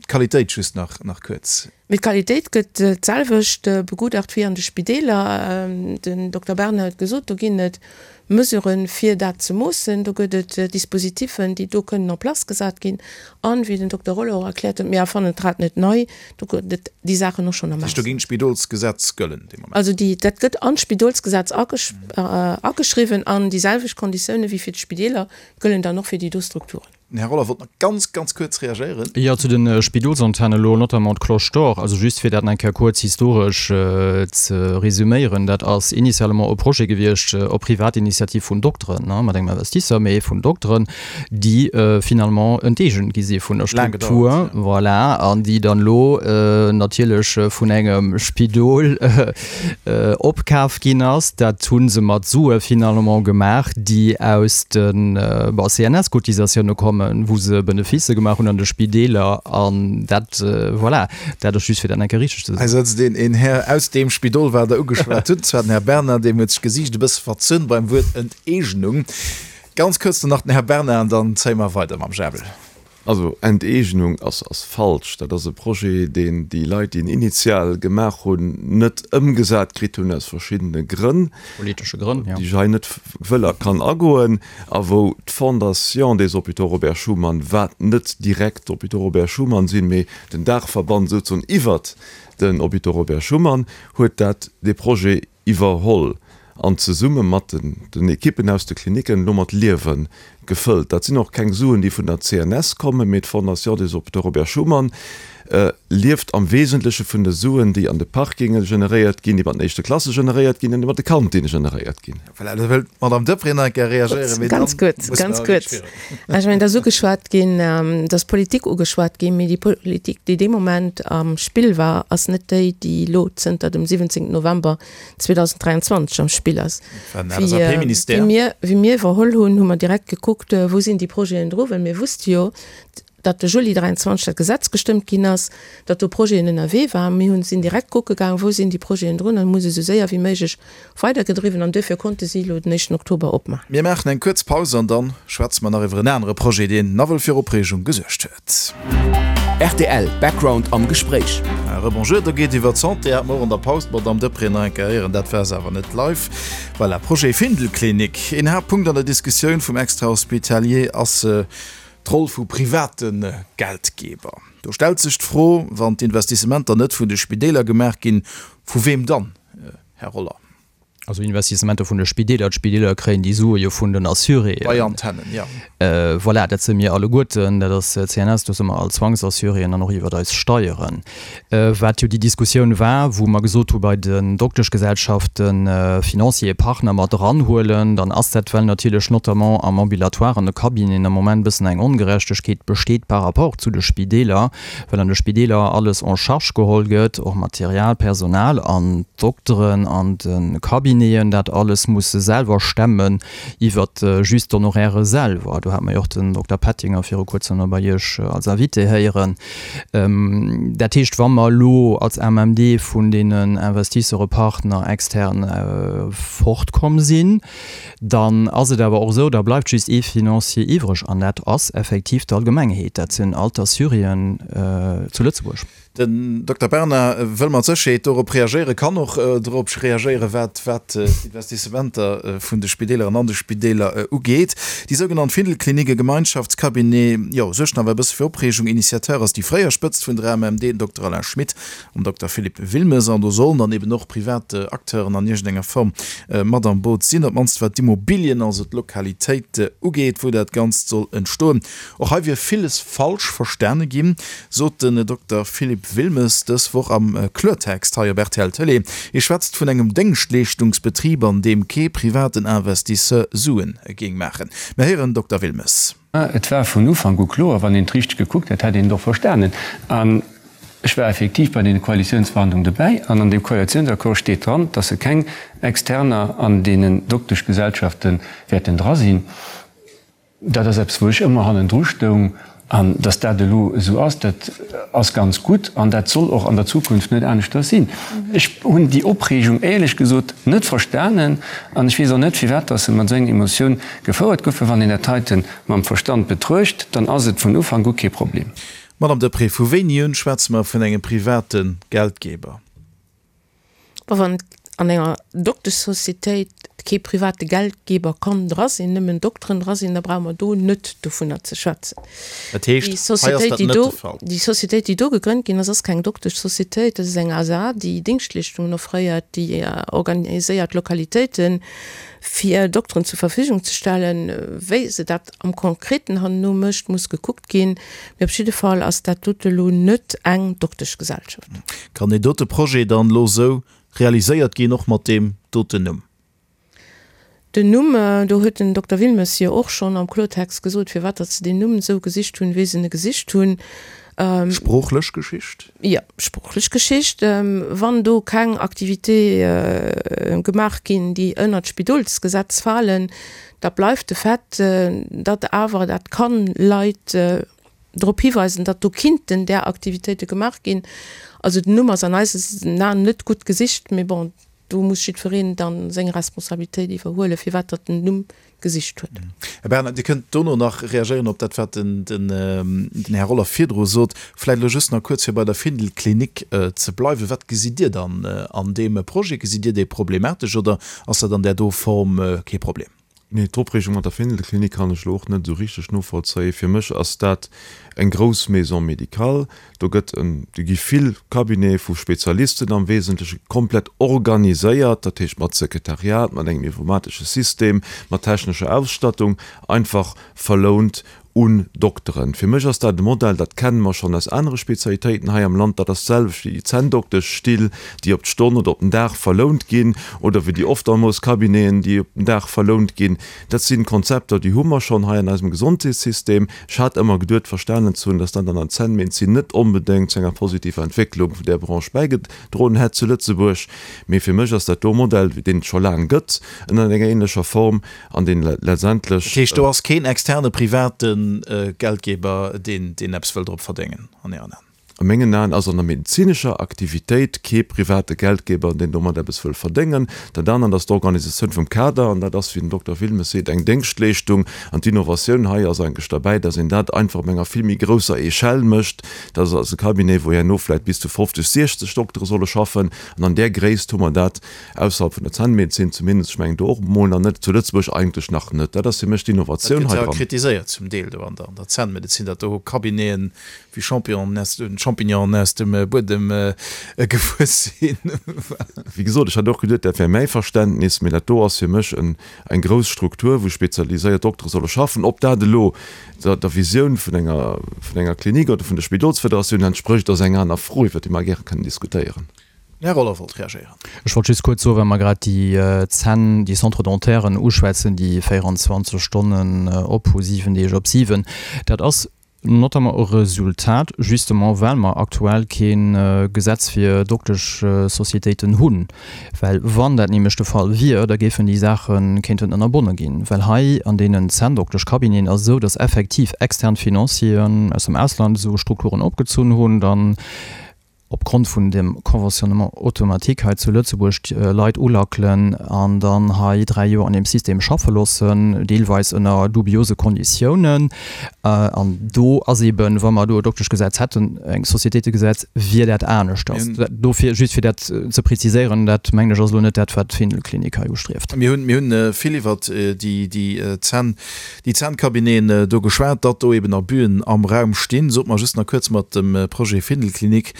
D'Qualitéit just nach nach kuerz. Mee d'Qualitéit gëtt d'selwecht begutacht wéi an de Spideeler. Den Dokter Bernard huet gesot, do ginn et Mesuren, fir dat ze moossen. Do gëtt et Dispositifen, déi do kënnen en place gesat ginn. An, wéi den Dokter Roller och erkläert huet, mir erfannen d'Rad net nei, do gëtt et déi Saachen och schonn am Dat heescht, do géing d'Spidolsgesetz gëllen dee Moment? Also déi, dat gëtt an d'Spidolsgesetz ageschriwwen an déi selwecht Konditiounen wéi fir d'Spideeler gëllen dann och fir déi do Strukturen. Den Här Roller wollt nach ganz, ganz kuerz reagéieren. Jo, zu de Spidolsantennen elo, notamment d'Cloche d'Or. Also just fir dat nach eng Kéier kuerz historesch ze resüméieren, Dat ass initialement e Projet gewiescht op Privatinitiativ vun Dokteren, mat engem Investisseur, mee vun Dokteren, déi finalement enteegent gi si vun der Struktur, voilà, an déi dann elo natierlech vun engem Spidol opkaf ginn ass. Dat hu se mat Sue finalement gemaach, déi aus de CNS-Cotisatioune kommen, wou se Beneficë gemaach hunn an de Spideeler. An dat, voilà, dat ass just fir dat eng Kéier richteg ze soen. Hei sëtzt een, een Här aus deem Spidol, wat Der ugeschwat hutt, zwar den Här Bernard, deem huet sech d'Gesiicht e bësse verzunn beim Wuert Enteegnung. Ganz kuerz dann nach den Här Bernard an dann zéie mer weider mam Jabel. Also Enteegnung ass ass falsch. Dat ass e Projet, deen déi Leit, déi en initial gemaach hunn, net ëmgesat kritt hunn aus verschiddene Grënn, Politesche Grënn, jo. déi ech hei net wëll a kann agoen, a wou d'Fondation des Hôpitaux Robert Schuman, wat net direkt d'Hôpitaux Robert Schuman sinn, mee den Daachverband souzesoen iwwert den Hôpitaux Robert Schuman, huet dat dee Projet iwwerholl an zesumme mat den Ekippen aus de Klinicken elo mat Liewe gefëllt. Dat sinn och keng Suen, déi vun der CNS kommen, mee d'Fondation des Hôpitaux Robert Schuman lieft am Wesentleche vun de Suen, déi an de Parkinge generéiert ginn, déi mat den éischte Klasse generéiert ginn an déi mat de Kantinne generéiert ginn. Voilà, do wëllt d'Madame Deprez nach eng Kéier reagéieren, mee dann Ganz kuerz, musse ganz mer kuerz. virun. Ech mengen, et ass ugeschwat ginn, et ass Politik ugeschwat ginn, mee déi Politik, déi dee Moment am Spill war, ass net déi, déi elo zënter dem 17 November 2023 am Spill ass. Wéi mir, wéi mir iwwerholl hunn, hu mer direkt gekuckt, wou sinn déi Projeten dru, well mir wusste jo, datt de Juli 23 dat Gesetz gestëmmt ginn ass, datt do Projeten ënnerwee waren. Mir hunn, sinn direkt kucke gaang, wou sinn déi Projeten drun an hu se esou séier wéi méiglech weidergedriwwen an duerfir konnte si elo den éischten Oktober opmaachen. Mir maachen eng kuerz Paus an dann schwätze mer nach iwwer en anere Projet, deen nawell fir Opreegung gesuergt huet. Rtl Background am Gespréich. Rebonjour, do geet iwwer d'Santé, hat mer och an der Paus d'Madamm Deprez nach eng Kéier héieren, dat war se awer net live. Voilà, Projet Findelklinik. Een Haaptpunkt an der Diskussioun vum Extra-Hospitalier ass d'Roll vu private Geldgeber. Do stellt sech d'Fro, wann d'Investissementer net vun de Spideeler gemaach ginn, vu weem dann, Här Roller? Also Investissementer vun de Spideeler, d'Spideeler kréien déi Sue jo vun den Assuréen. Bei Antennen, jo. Voilà, dat si mir alleguerten, dat ass CNS, do si mer all Zwangsassuréen an och iwwert eis Steieren. Wat jo déi Diskussioun war, wou mer gesot hu bei den Dokteschgesellschaften Financier, Partner mat eranhuelen, dann ass dat, well natierlech notamment am Ambulatoire, an de Cabineten am Moment e bëssen eng Ongerechtegkeet besteet par rapport zu de Spideeler, well an de Spideeler alles en charge geholl gëtt, och Material, Personal, an d'Dokteren an de Cabineten dat alles musse selwer stemmen iwwert just d'Honoraire selwer. Do hate mer jo och den Dokter Pettinger viru kuerzem nach bei Iech als Invité héieren. Dat heescht, wa mer elo als AMMD vun deenen Investisseure, Partner extern fortkomm sinn, Dann ass et awer och esou, da bleift just ee Financier iwwreg, an dat ass effektiv d'Allgemengheet, dat sinn all d'Assuréen zu Lëtzebuerg. Den Dokter Bernard wëll mat Sécherheet dorop reagéieren, kann och dorop reagéieren, wat d'Investissementer vun de Spideeler an an de Spideeler ugeet. Déi sougenannt Findelklinik, e Gemeinschaftscabinet, jo, suergt nach awer e bësse fir Opreegung. Initiateur ass déi fréier Spëtzt vun der AMMD, den Dokter Alain Schmit. Am Dokter Philippe Wilmes, an do sollen dann eben och privat Acteuren an iergendenger Form mat am Boot sinn, op d'mannst wat d'Immobilien, also d'Lokalitéit ugeet, wou dat Ganzt soll entstoen. Och hei wier villes falsch verstane ginn, sot den Dokter Philippe Wilmes dës Woch am Kloertext hei op rtl Tëlee. Hie schwätzt vun engem Déngschtleeschtungsbetrib, an deem kee privaten Investisseur Suen géing maachen. Mir héieren Dokter Wilmes. Et war vun Ufank u kloer, wann een et richteg gekuckt hätt, hätt een et och verstanen. An ech war effektiv bei deene Koalitiounsverhandlungen dobäi an an deem Koalitiounsaccord steet dran, dass se keng Externer an deenen Dokteschgesellschafte wäerten dra sinn. Dat ass eppes, wou ech ëmmer hannendru stoung. An dass dat elo esou ass, dat ass ganz gutt an dat soll och an der Zukunft net aneschters sinn. Ech hunn déi Opreegung éierlech gesot net verstanen an ech weess och net, firwat dass se mat esou enger Emotioun gefouert goufen. Wann een dat heite mam Verstand betruecht, dann ass et vun Ufank u kee Problem. Madame Deprez, vu wéini un schwätze mer vun engem private Geldgeber? Bon, wann an enger Dokteschsocietéit kee private Geldgeber kann dra sinn, nëmmen Dokteren dra sinn, da brauche mer do net dovunner ze schwätzen. Dat heescht, hei ass dat net de Fall. Déi Sociétéit, déi do gegrënnt ginn ass, ass keng Dokteschsocietéit, dat ass eng ASA, déi Dingschtleeschtungen offréiert, déi organiséiert Lokalitéiten, fir Dokteren zur Verfügung ze stellen. Wéi se dat am Konkreten herno mécht, muss gekuckt ginn. Mee op jidde Fall ass dat dote lo net eng Dokteschgesellschaft. Kann deen dote Projet dann elo esou realiséiert ginn, och mat deem doten Numm? Den Numm, do huet den Dokter Wilmes jo och schonn am Kloertext gesot, firwat datt se deen Numm esou gesicht hunn, wéi se e gesicht hunn. Sproochlech Geschicht? Jo, sproochlech Geschicht. Wann do keng Activité gemaach ginn, déi ënnert d'Spidolsgesetz falen, da bleift de Fait, datt awer dat kann Leit drop hiweisen, datt do kinnten där Aktivitéite gemaach ginn. Also den Numm ass an eisen Aen net gutt gesicht, mee bon, do muss jiddwereen da seng Responsabilitéit iwwerhuelen, firwat datt en den Numm gesicht huet. Här Bernard, Dir kënnt dono nach reagéieren op dat, wat den Här Roller virdru sot. Vläicht elo just nach kuerz, fir bei der Findel-Klinik ze bleiwen. Wat gesitt Dir dann an deem Projet? Gesitt Dir dee problematesch oder ass dat an där do Form kee Problem? Nee, d'Opreegung mat der Findel-Klinik kann ech elo och net esou richteg novollzéien. Fir mech ass dat eng grouss Maison médicale. Do gëtt en, do gi vill Cabinete vu Spezialisten am Wesentleche komplett organiséiert, dat heescht mat Sekretariat, mat engem informatesche System, mat technescher Ausstattung, einfach verlount un Dokteren. Fir mech ass dat e Modell, dat kenne mer schonn aus anere Spezialitéiten hei am Land. Dat ass d'selwecht wéi déi Zänndokteschstill, déi op d'Stonn oder op den Dag verlount ginn, oder wéi déi Ophtalmoscabineten, déi op den Dag verlount ginn. Dat si Konzepter, déi hu mer schonn hei an eisem Gesondheetssystem. Ech hat ëmmer geduet, verstanen ze hunn, dass dat an der Zännmedezin net onbedéngt zu enger positiver Entwécklung vun där Branche bäigedroen hätt zu Lëtzebuerg. Mee fir mech ass dat do e Modell, deen et scho laang gëtt ënner enger ähnlecher Form an deen letztendlech. Dat heescht, do ass keen externe private Geldgeber, deen eppes wëll drop verdéngen an Ären Aen? A mengen Aen ass an der medezinescher Aktivitéit kee private Geldgeber, deen domat eppes wëll verdéngen. Dat anert ass d'Organisatioun vum Kader, an dat ass, wéi den Dokter Wilmes seet, eng Déngschtleeschtung. An d'Innovatioun hei ass eigentlech derbäi, dass een dat einfach op enger vill méi grousser Echelle mécht. Dat ass e Cabinet, wou herno vläicht bis zu 50, 60 Doktere solle schaffen. An an där Gréisst hu mer dat ausserhalb vun der Zännmedezin zumindest, ech mengen do och emol nach net, zu Lëtzebuerg eigentlech nach net. Dat ass fir mech d'Innovatioun hei dran. Dat gëtt jo kritiséiert zum Deel do an der Zännmedezin, datt do Cabineten wéi Champignon. Champignonen aus dem Buedem gewuess sinn. Wéi gesot, ech hat och geduet, dat wär mäi Verständnis, mee dat do ass fir mech eng grouss Struktur, wou spezialiséiert Doktere solle schaffen. Ob dat elo der Visioun vun enger, vun enger Klinik oder vun der Spidolsfederatioun entsprécht, ass eng aner Fro, iwwer déi mer gäre kënnen diskutéieren. Den Här Roller wollt reagéieren. Ech wollt just kuerz soen, well mer grad déi Zänn, déi Centre-dentairen uschwätzen, déi 24 Stonnen op hu, 7 Deeg op 7, dat ass notamment e Resultat justement, well mer aktuell kee Gesetz fir Dokteschsocietéiten hunn. Well wann dat nämlech de Fall wier, da géifen déi Saache kéinten ënnerbonne ginn. Well hei an deenen Zänndokteschcabineten ass et esou, dass effektiv extern Financieren aus dem Ausland esou Strukturen opgezunn hunn, dann opgrond vun dem Conventionnement automatique hei zu Lëtzebuerg d'Leit ulackelen an dann hei 3 Joer an deem System schaffe loossen, deelweis ënner dubiose Konditiounen. An do ass eben, wa mer do e Dokteschgesetz hätten, eng Sociétéitegesetz, wier dat aneschters. Dofir, just fir dat ze preziséieren, dat mengen ech ass elo net dat, wat d'Findel-Klinik hei ustrieft. Mir hunn, mir hunn vill iwwert déi, déi Zänn, déi Zännkabineten do geschwat, datt do eben Abüen am Raum stinn. Sot mer just nach kuerz mat dem Projet Findelklinik,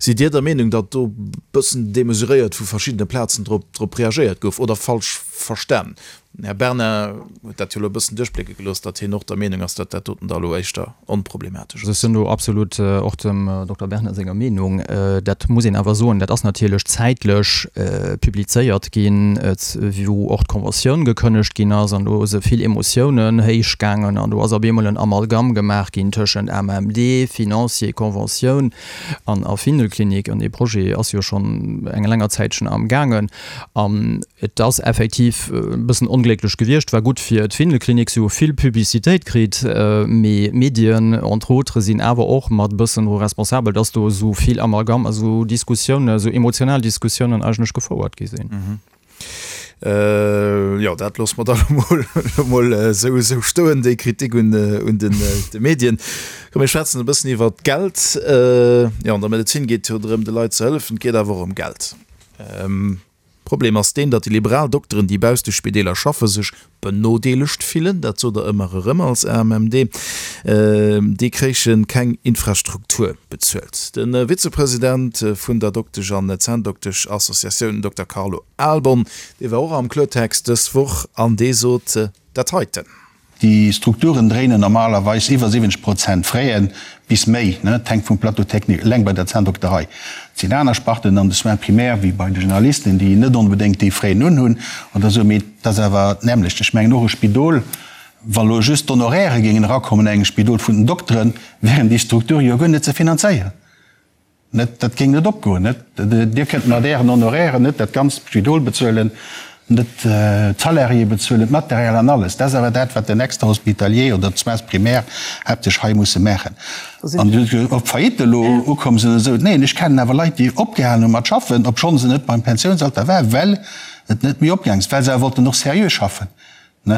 Sidd Dir der Meenung, datt do bëssen demesuréiert vu verschiddene Plazen drop drop reagéiert gouf oder falsch verstan? Den Här Bernard huet dat jo elo e bëssen duerchblécke gelooss, datt hien och der Meenung ass, datt dat doten da elo éischter onproblematesch ass. Ech sinn do absolut och dem Dokter Bernard senger Meenung. Dat muss een awer soen, dat ass natierlech zäitlech publizéiert ginn, wou och d'Conventioun gekënnegt ginn ass an do si vill Emotiounen héich gaangen an do ass op eemol en Amalgam gemaach ginn tëschent AMMD, Financier, Conventioun an a Findelklinik. An dee Projet ass jo schonn eng länger Zäitchen amgaangen. An et ass effektiv e bëssen onglécklech gewiescht, war gutt fir d'Findelklinik, si hu vill Publicitéit kritt, mee d'Medien entre autres sinn awer och mat e bëssen dru responsabel, dass do esou vill Amalgam a sou Diskussiounen, esou emotional Diskussiounen eigentlech gefouert gi sinn. Jo, dat loosse mer da elo mol esou stoen, déi Kritik un de Medien. Komm, mir schwätzen e bëssen iwwert d'Geld. Jo, an der Medezin geet et jo drëm, de Leit ze hëllefen, et geet awer och ëm Geld. Problem ass deen, datt déi liberal Dokteren, déi bausst de Spideeler schaffen, sech benodeelegt fillen. Dat sot Der ëmmer erëm als AMMD. Déi kréiche keng Infrastruktur bezuelt. De Vizepresident vun der Doktesch an Zänndoktesch-Associatioun, den Dokter Carlo Ahlborn, dee war och am Kloertext dës Woch an dee sot dat heiten. Déi Strukturen dréinen normalerweis iwwer 70 Prozent Fräen, bis méi, et hänkt vum Plateau technique, eleng bei der Zänndokterei. Et sinn aner Sparten an de Soins primaires wéi bei de Generalisten, déi net onbedéngt déi Fräen unhunn oder esou, mee et ass awer d'nämmlecht. Ech mengen och e Spidol, wa lo just d'Honoraire géingen erakommen an engem Spidol vun den Dokteren, wären déi Strukture jo guer net ze finanzéieren. Net, dat géing net opgoen, net? Dir kënnt mat Ären Honorairen net dat ganzt Spidol bezuelen, net d'Salariéë bezuelen, d'Material an alles. Dat ass awer dat, wat den Extrahospitalier oder d'Soins primaires haaptsächlech hei musse maachen. An ob Faillite elo ukomm sinn oder esou, neen, ech kennen awer Leit, déi opgehalen hu mat schaffen, obschonn se net beim Pensiounsalter waren, well et net méi opgaangen ass, well se awer wollten och seriö schaffen,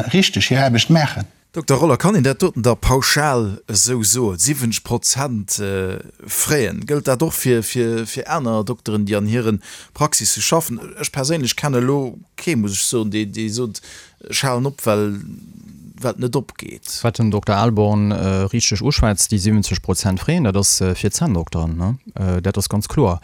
richteg hir Aarbecht maachen. Dokter Roller, kann een dat doten da pauschal esou soen, 70 Prozent Fräen? Gëllt dat och fir fir aner Dokteren, déi an hire Praxisse schaffen? Ech perséinlech kenne elo kee, muss ech soen, dee dee sot, ech halen op, well well et net opgeet. Wat den Dokter Ahlborn richteg uschwätzt, déi 70 Prozent Fräen, dat ass fir d'Zänndokteren, ne? Dat ass ganz kloer.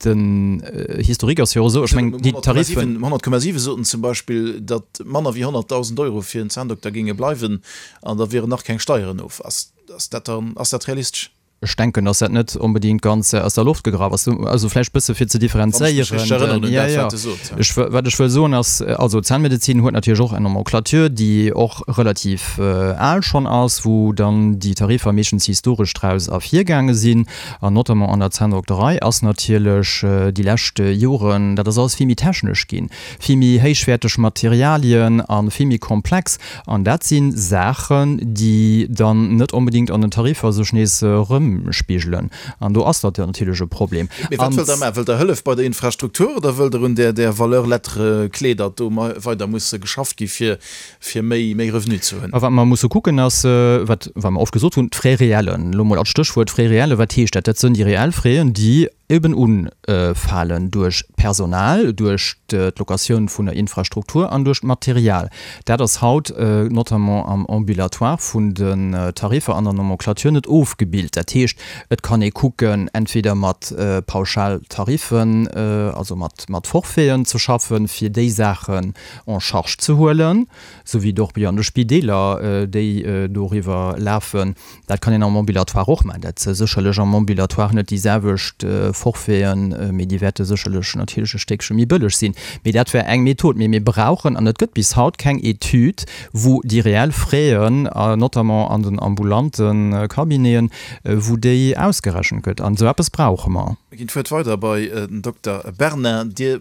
Den Historique ass jo och esou, ech mengen déi Tariffen. 100,7 soten zum Beispill, datt manner wéi 100.000 Euro fir en Zänndokter géinge bleiwen an da wieren nach keng Steieren of. Ass dat dann, ass dat realistesch? Ech denken, datt dat net onbedéngt ganz aus der Loft gegraff ass. Also vläicht bësse fir ze differenzéieren. Wann ech mech richteg erënneren un dat, wat e sot. Ech, wat ech wëll soen ass, also d'Zännmedezin huet natierlech och eng Nomenclature, déi och relativ al schonn ass, wou dann déi Tariffer meeschtens historesch draus ervirgaange sinn. An notamment an der Zänndokterei ass natierlech déi lescht Joren, dat ass alles vill méi technesch ginn, vill méi héichwäerteg Materialien a vill méi komplex. An dat si Saachen, déi dann net onbedéngt an den Tariffer sech nees erëmspigelen. An do ass dat natierlech e Problem. Mee wat wëllt Der maachen? Wëllt Der Hëllef bei der Infrastruktur oder wëllt Der un där Valeur lettre clé, datt do weider muss geschafft gi fir fir méi méi Revenu ze hunn. A wat mer musse kucken ass, wat wat mer oft gesot hunn, d'Frais réellen. Elo mol als Stéchwuert, Frais réellen, wat heescht dat? Dat sënn déi reell Fraisen, déi. Eben unfalen duerch d'Personal, duerch d'Locatioun vun der Infrastruktur an duerch d'Material. Dat ass haut notamment am Ambulatoire vun den Tariffer an der Nomenclature net ofgebilt. Dat heescht, et kann ee kucken, entweder mat Pauschaltariffen, also mat Forfaiten ze schaffen, fir déi Saachen en charge ze huelen, esou wéi et och an de Spideeler, déi doriwwer lafen. Dat kann een am Ambulatoire och maachen. Dat si sécherlech am Ambulatoire net déi selwecht Forfaiten, mee déi wäerte sécherlech natierlech e Stéckche méi bëlleg sinn. Mee dat wär eng Method. Mee mir brauchen, an et gëtt bis haut keng Etüd, wou déi reell Fraisen, notamment an den ambulante Cabineten, wou déi ausgerechent gëtt. An esou eppes brauche mer. Mir ginn d'Wuert weider bei den Dokter Bernard. Dir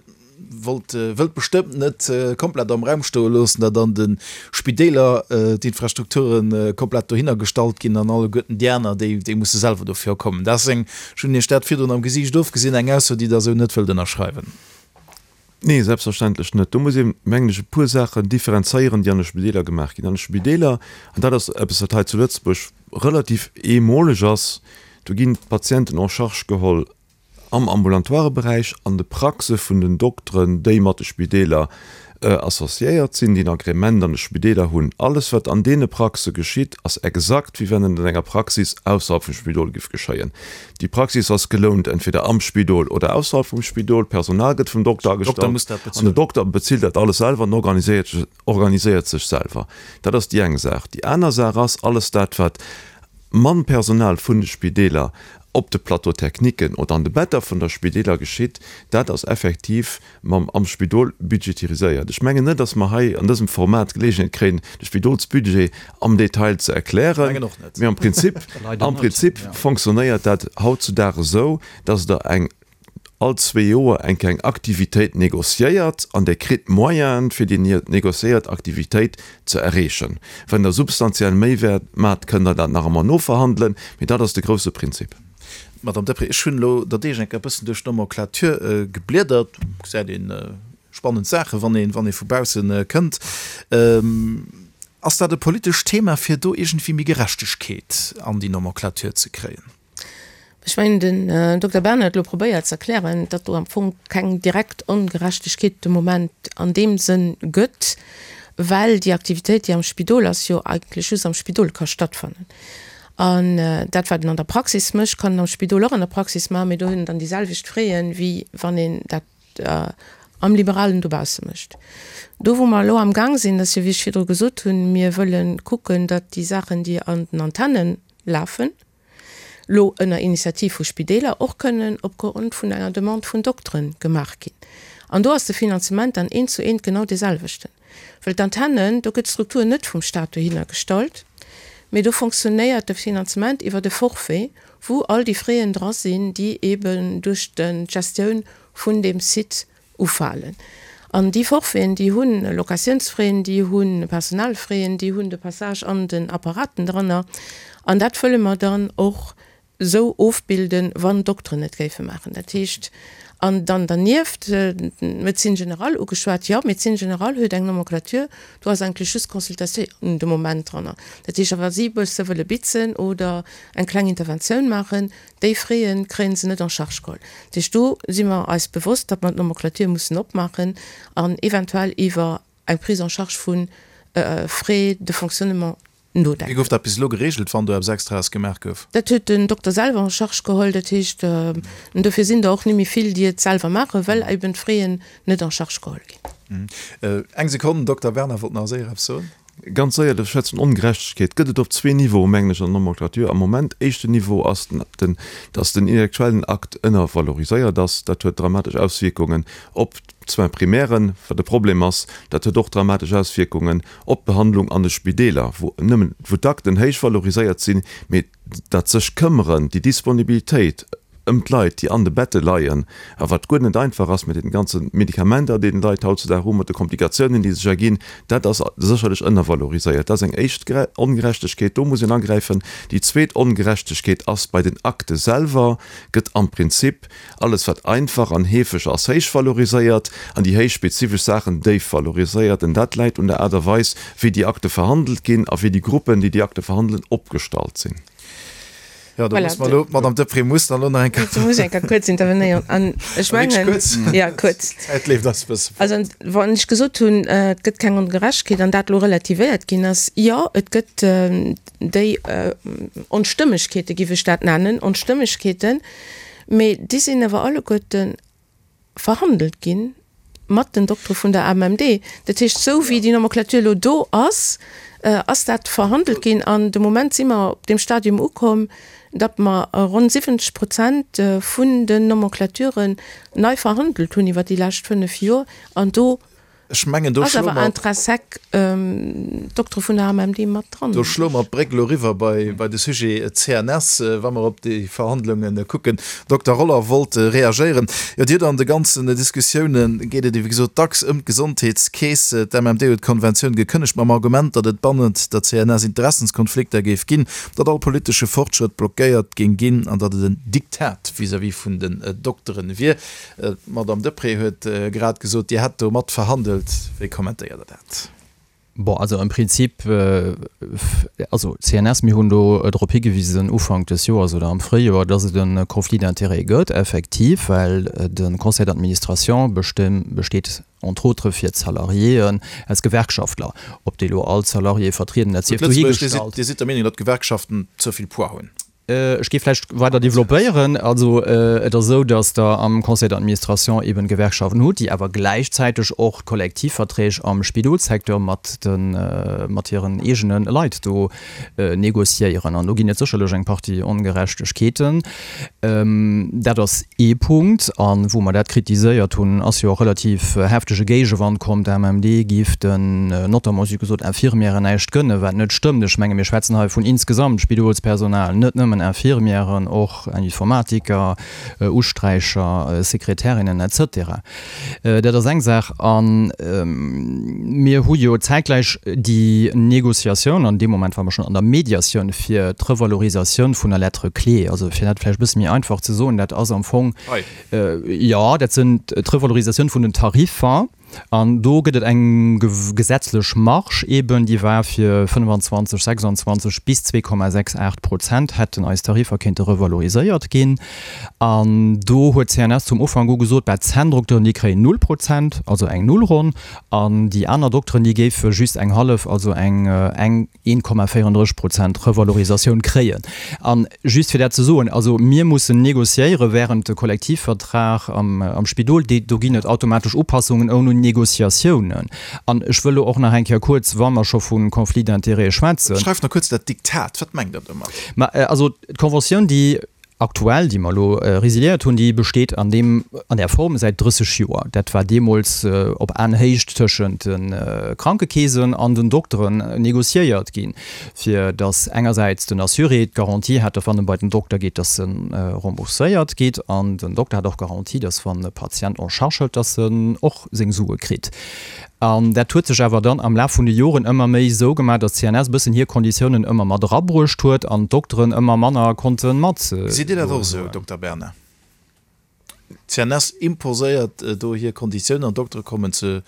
wollt, wëllt bestëmmt net komplett am Raum stoe loossen, datt an de Spideeler d'Infrastrukture komplett dohinner gestallt ginn an alleguerten déi aner, déi, déi musse selwer dofir opkommen. Dat ass eng, ech hunn Iech dat virdrun am Gesiicht ofgesinn, eng Ausso, déi Der esou net wëllt ënnerschreiwen. Nee, selbstverständlech net. Do muss een, mengen ech, e puer Saachen differenzéieren, déi an de Spideeler gemaach ginn. An de Spideeler, an dat ass eppes, wat hei zu Lëtzebuerg relativ eemoleg ass, do ginn d'Patienten en charge geholl am ambulatoire Beräich, an de Praxe vun den Dokteren, déi mat de Spideeler associéiert sinn, déi en Agrément an de Spideeler hunn. Alles, wat an deene Praxe geschitt, ass exakt, wéi wann et an enger Praxis ausserhalb vum Spidol géif geschéien. Déi Praxis ass gelount, entweder am Spidol oder ausserhalb vum Spidol. D'Personal gëtt vum Dokter agestallt an den Dokter bezilt dat alles selwer an organiséiert sech selwer. Dat ass déi eng Saach. Déi aner Saach ass, alles dat, wat mam Personal vun de Spideeler op de Plateau-techniquen oder an de Better vun der Spideeler geschitt, dat ass effektiv mam am Spidol budgetiriséiert. Ech mengen net, datt mer hei an dësem Format d'Geleegenheet kréien, de Spidolsbudget am Detail ze erklären, mee am Prinzip, am Prinzip fonctionnéiert dat hautzudag esou, datt Der eng all zwee Joer eng kleng Aktivitéit négociéiert an Der kritt d'Moyenen, fir déi négociéiert Aktivitéit ze erreechen. Wann Der substantiell méi wäert maacht, kënnt Der dat nach ëmmer noverhandelen, mee dat ass de grouse Prinzip. Madame Deprez, ech hunn elo der Deeg eng Kéier e bëssen duerch d'Nomenclature gebliedert. Do gesäit een spannend Saachen, wann een, wann ee vu bausse kënnt. Ass dat e politescht Thema, fir do iergendwéi méi Gerechtegkeet an déi Nomenclature ze kréien? Ech mengen, den Dokter Bernard huet elo probéiert ze erklären, datt do am Fong keng direkt Ongerechtegkeet de Moment an deem Sënn gëtt, well déi Aktivitéit, déi am Spidol ass, jo eigentlech just am Spidol ka stattfannen. An dat, wat en an der Praxis mécht, kann en am Spidol och an der Praxis maachen, mee do huet en dann déi selwecht Frais, wéi wann een dat am Liberalen dobausse mécht. Do, wou mer elo amgaang sinn, ass jo, wéi ech virdru gesot hunn, mir wëlle kucken, datt déi Saachen, déi an den Antenne lafen, lo ënner Initiativ vu Spideeler, och kënnen opgrond vun enger Demande vun Dokteren gemaach ginn. An do ass de Finanzement dann eent zu eent genau deeselwechten. Well d'Antennen, do gëtt d'Struktur net vum Stat dohinner gestallt, mee do fonctionnéiert de Finanzement iwwert e Forfait, wou all déi Fräen dra sinn, déi eeben duerch d'Gestioun vun deem Site ufalen. An déi Forfaiten, déi hu Locatiounsfraien, déi hu Personalfraien, déi hunn de Passage an den Apparaten dranner. An dat wëlle mer dann och esou ofbilden, wann d'Dokteren et géife maachen. Dat heescht, an dann dernieft, d'Médecine générale ugeschwat, jo, d'Médecine générale huet eng Nomenclature, do ass eigentlech just d'Consultatioun de Moment dranner. Dat heescht, a wa si e bësse wëlle bitzen oder eng kleng Interventioun maachen, Déi Frais kréien se net en charge geholl. Dat heescht, do si mer eis bewosst, datt mer d'Nomenclature mussen opmaachen an eventuell iwwer eng Prise en charge vu Frais de fonctionnement Wéi nodenken. gouf dat bis elo geregelt, wann do eppes Extraes gemaach gouf? Dat huet den Dokter selwer en charge geholl. Dat heescht, dofir sinn der och net méi vill, déi et selwer maachen, well eben d'Fraisen net en charge geholl ginn. Eng Sekonn, den Dokter Werner wollt nach séier eppes soen. Ganz séier, de Schwätz vun Ongerechtegkeet gëtt et op zwee Niveaue, mengen ech, an der Nomenclature am Moment. Éischten Niveau ass, dass den intellektuellen Akt ënnervaloriséiert ass. Dat huet dramatesch Auswierkungen op d'Soins primairen, wat e Problem ass. Dat huet och dramatesch Auswierkungen op d'Behandlung an de Spideeler, wou nëmmen, wou d'Akten héich valoriséiert sinn, mee dat sech këmmeren, déi Disponibilitéit ëm d'Leit, déi an de Bette leien, a wat guer net einfach ass mat deenen ganze Medikamenter, déi d'Leit hautzudag hu, mat de Komplikatiounen, déi sech erginn, dat ass sécherlech ënnervaloriséiert. Dat ass eng éischt Ongerechtegkeet, do muss een agräifen. Déi zweet Ongerechtegkeet ass, bei den Akte selwer gëtt am Prinzip alles, wat einfach an heefeg ass, héich valoriséiert an déi héich spezifesch Saachen déif valoriséiert. An dat läit un der Aart a Weis, wéi déi Akte verhandelt ginn a wéi déi Gruppen, déi déi Akte verhandelen, opgestallt sinn. Jo, do muss mer elo, d'Madame Deprez muss dann elo nach eng Kéier. Do muss ech eng Kéier kuerz intervenéieren. An ech mengen. Wierklech kuerz? Ja, kuerz. D'Zäit leeft eis e bësse fort. Also, wann ech gesot hunn, et gëtt keng Ongerechtegkeet an dat elo relativéiert ginn ass, jo, et gëtt déi Onstëmmegkeete, giff ech dat nennen, Onstëmmegkeeten, mee déi sinn awer alleguerten verhandelt gi mat den Doktere vun der AMMD. Dat heescht, esou wéi déi Nomenclature elo do ass, ass dat verhandelt ginn. An de Moment si mer op deem Stadium ukomm, datt mer ronn 70 Prozent vun den Nomenclaturen nei verhandelt hunn iwwer déi lescht 5 Joer. An do Ech mengen, do Ass schloe awer mer. intrinsèque d'Doktere vun der AMMD mat dran. Do schloe mer d'Bréck elo eriwwer bei, bei de Sujet CNS, wa mer op déi Verhandlunge kucken. Dokter Roller wollt reagéieren. Jo, Dir hutt an de ganzen Diskussioune geet et, wéi gesot, dacks ëm d'Gesondheetskeess. D'MMD huet d'Konventioun gekënnegt mam Argument, datt et bannent der CNS Interessenskonflikter géif ginn, datt all politesche Fortschrëtt blockéiert géing ginn an datt et en Diktat vis-à-vis vun den Dokteren wier. D'Madame Deprez huet grad gesot, Dir hätt do mat verhandelt. Wéi kommentéiert Der dat? Bon, also am Prinzip, also d'CNS, mir hunn do drop higewisen Ufank des Joers oder am Fréijoer, dass et e Conflit d'intérêts gëtt, effektiv, well de Conseil d'administration besteet entre autres fir d'Salariéen aus Gewerkschaftler. Ob déi elo all d'Salariéë vertrieden, dat sief dohigestallt. Dir sidd der Meenung, datt d'Gewerkschaften ze vill Poids hunn? Ech géif vläicht weider développéieren. Also et ass esou, datt Der am Conseil d'administration eben Gewerkschaften hutt, déi awer gläichzäiteg och d'Kollektivverträg am Spidolssecteur mat de mat hiren eegene Leit do négociéieren. An do ginn et sécherlech eng Partie Ongerechtegkeeten. Dat ass ee Punkt. A wou mer dat kritiséiert hunn, ass jo och relativ heftege Géigewand komm, d'AMMD géif den, notamment, si huet gesot, Infirmièren näischt gënnen, wat net stëmmt. Ech menge mir schwätzen hei vun insgesamt Spidolspersonal, net nëmmen Infirmièren, och Informatiker, Usträicher, Sekretärinnen et cetera. Dat ass eng Saach. A mir hu jo zäitgläich déi Négociatioun, an deem Moment ware mer schonn an der Mediatioun fir d'Revalorisatioun vun der Lettre clé. Also fir dat vläicht e bësse méi einfach ze soen, dat ass am Fong, jo, dat sinn d'Revalorisatioun vun den Tariffer. An do gëtt et eng gesetzlech Marge eeben, déi war fir 25, 26 bis 2,68 Prozent hätten eis Tariffer kéinte revaloriséiert ginn. An do huet d'CNS zum Ufank u gesot, bah, d'Zänndokteren, déi kréien null Prozent, also eng Nullronn, an déi aner Dokteren, déi géife just eng hallef, also eng eng 1,34 Prozent Revalorisatioun kréien. A just fir dat ze soen, also mir mussen négociéiere während de Kollektivvertrag am am Spidol, dee do ginn et automatesch Upassungen ouni Négociatiounen. An ech wëll elo och nach eng Kéier kuerz, wa mer scho vu Conflit d'intérêts schwätzen. Beschreift nach kuerz dat Diktat. Wat mengt Der domat? Ma also d'Conventioun, déi aktuell, déi mer elo résiliéiert hunn, déi besteet an deem, an där Form säit 30 Joer. Dat war deemools op Aenhéicht tëschent de Krankekeesen an den Dokteren négociéiert ginn, fir datt engersäits den Assuré d'Garantie hat, datt wann e bei den Dokter geet, datt e rembourséiert gétt, an den Dokter hat och d'Garantie, datt wann e Patient en charge hëlt, datt en och seng Sue kritt. An dat huet sech awer dann am Laf vun de Joren ëmmer méi esou gemaach, datt d'CNS e bëssen hir Konditiounen ëmmer mat erabruecht huet an d'Dokteren ëmmer manner konnte mat. Gesitt Dir dat och esou, Dokter Bernard? D'CNS imposéiert do hir Konditiounen an d'Doktere kommen ze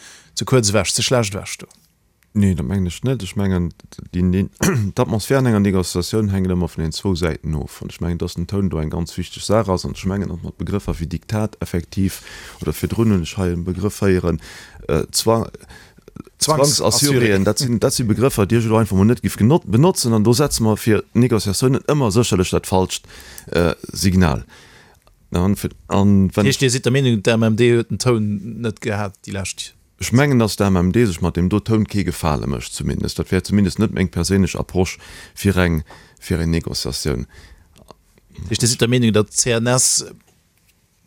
kuerz ewech, ze schlecht ewech do? Nee, dat mengen ech net. Ech mengen, d'Atmosphär an enger Négociatioun hänkt ëmmer vun den zwou Säiten of. An ech mengen, dass den Toun do eng ganz wichteg Saach ass. An ech mengen och mat Begrëffer wéi Diktat effektiv, oder virdrun hunn ech hei e Begrëff héieren, Zwangsassuréen, dat sinn, dat si Begrëffer, déi ech elo einfach mol net géif benotzen. An do setze mer fir Négociatiounen ëmmer sécherlech dat falscht Signal. An wann. Dat heescht, Dir sidd der Meenung, d'AMMD huet den Toun net gehat déi lescht. Ech mengen, dass d'AMMD sech mat deem do Toun kee Gefale mécht, zumindest. Dat wär zumindest net meng perséinlech Approche fir eng, fir eng Négociatioun. Dat heescht, Dir sidd der Meenung, datt d'CNS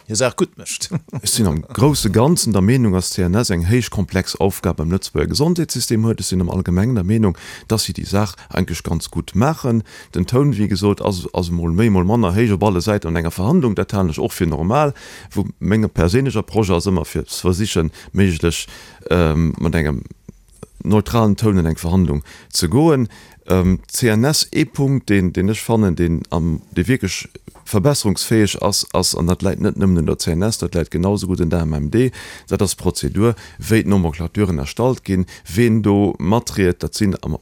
hir Saach gutt mécht? Ech sinn am grousse Ganzen der Meenung, dass d'CNS eng héich komplex Aufgab am Lëtzebuerger Gesondheetssystem huet. Ech sinn am Allgemengen der Meenung, dass si déi Saach eigentlech ganz gutt maachen. Den Toun, wéi gesot, ass, ass emol méi, emol manner héich op alle Säiten an enger Verhandlung. Dat halen ech och fir normal. Wou meng perséinlech Approche ass ëmmer fir ze versichen, méiglech mat engem neutralen Toun an eng Verhandlung ze goen. D'CNS, ee Punkt, deen, deen ech fannen, deen am, dee wierklech verbesserungsfäeg ass, ass, an dat läit net nëmmen un der CNS, dat läit genau esou gutt un der AMMD, dat ass d'Prozedur, wéi d'Nomenclaturen erstallt ginn, ween do matriet. Dat sinn am,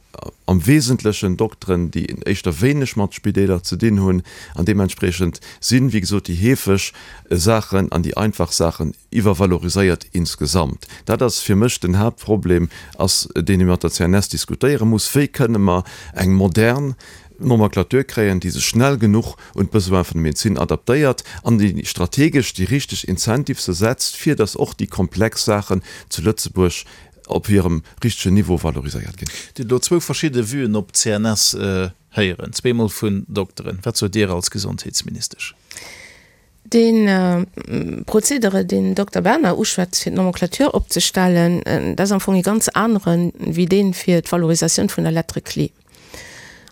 am Wesentlechen Dokteren, déi éischter wéineg mat Spideeler ze dinn hunn, an deementspriechend sinn, wéi gesot, déi heefeg Saachen an déi einfach Saachen iwwervaloriséiert insgesamt. Dat ass fir mech den Haaptproblem ass, deen ee mat der CNS diskutéiere muss, Wéi kënne mer eng modern Nomenclature kréien, déi sech schnell genuch un d'Besoin vun der Medezin adaptéiert an déi strategesch déi richteg Incentivese setzt, fir datt och déi komplex Saachen zu Lëtzebuerg op hirem richtegen Niveau valoriséiert ginn. Dir hutt elo zwou verschidde Vuen op d'CNS héieren, zweemol vun Dokteren. Wat sot Dir als Gesondheetsministesch? Dee Prozedere, deen den Dokter Bernard uschwätzt, fir d'Nomenclature opzestellen, dat ass am Fong ee ganz anere wéi dee fir d'Valorisatioun vun der Lettre clé.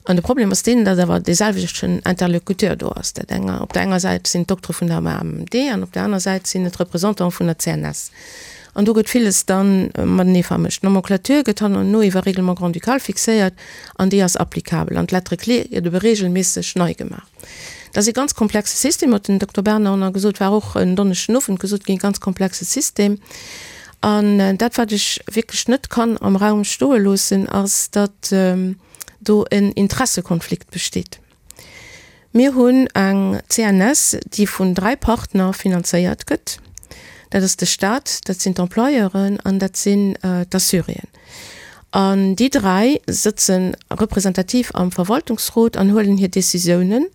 An de Problem ass deen, datt awer dee selwechten Interlocuteur do ass. Dat enger, op der enger Säit sinn d'Doktere vun der AMMD an op der aner Säit sinn et d'Représentante vun der CNS. An do gëtt villes da matenee vermëscht. D'Nomenclature gëtt hannerno iwwer Règlement grand-ducal fixéiert an déi ass applicabel. An d'Lettre clé gëtt ebe regelméisseg nei gemaach. Dat ass ee ganz komplexe System, huet den Dokter Bernard gesot, war och en Donneschden Owend gesot ginn, ganz komplexe System. An dat, wat ech wierklech net kann am Raum stoe loossen, ass, datt do en Interessekonflikt besteet. Mir hunn eng CNS, déi vun dräi Partner finanzéiert gëtt. Dat ass de Stat, dat sinn d'Employeuren an dat sinn d'Assuréen. An déi dräi sëtze representativ am Verwaltungsrot an huelen hir Décisiounen,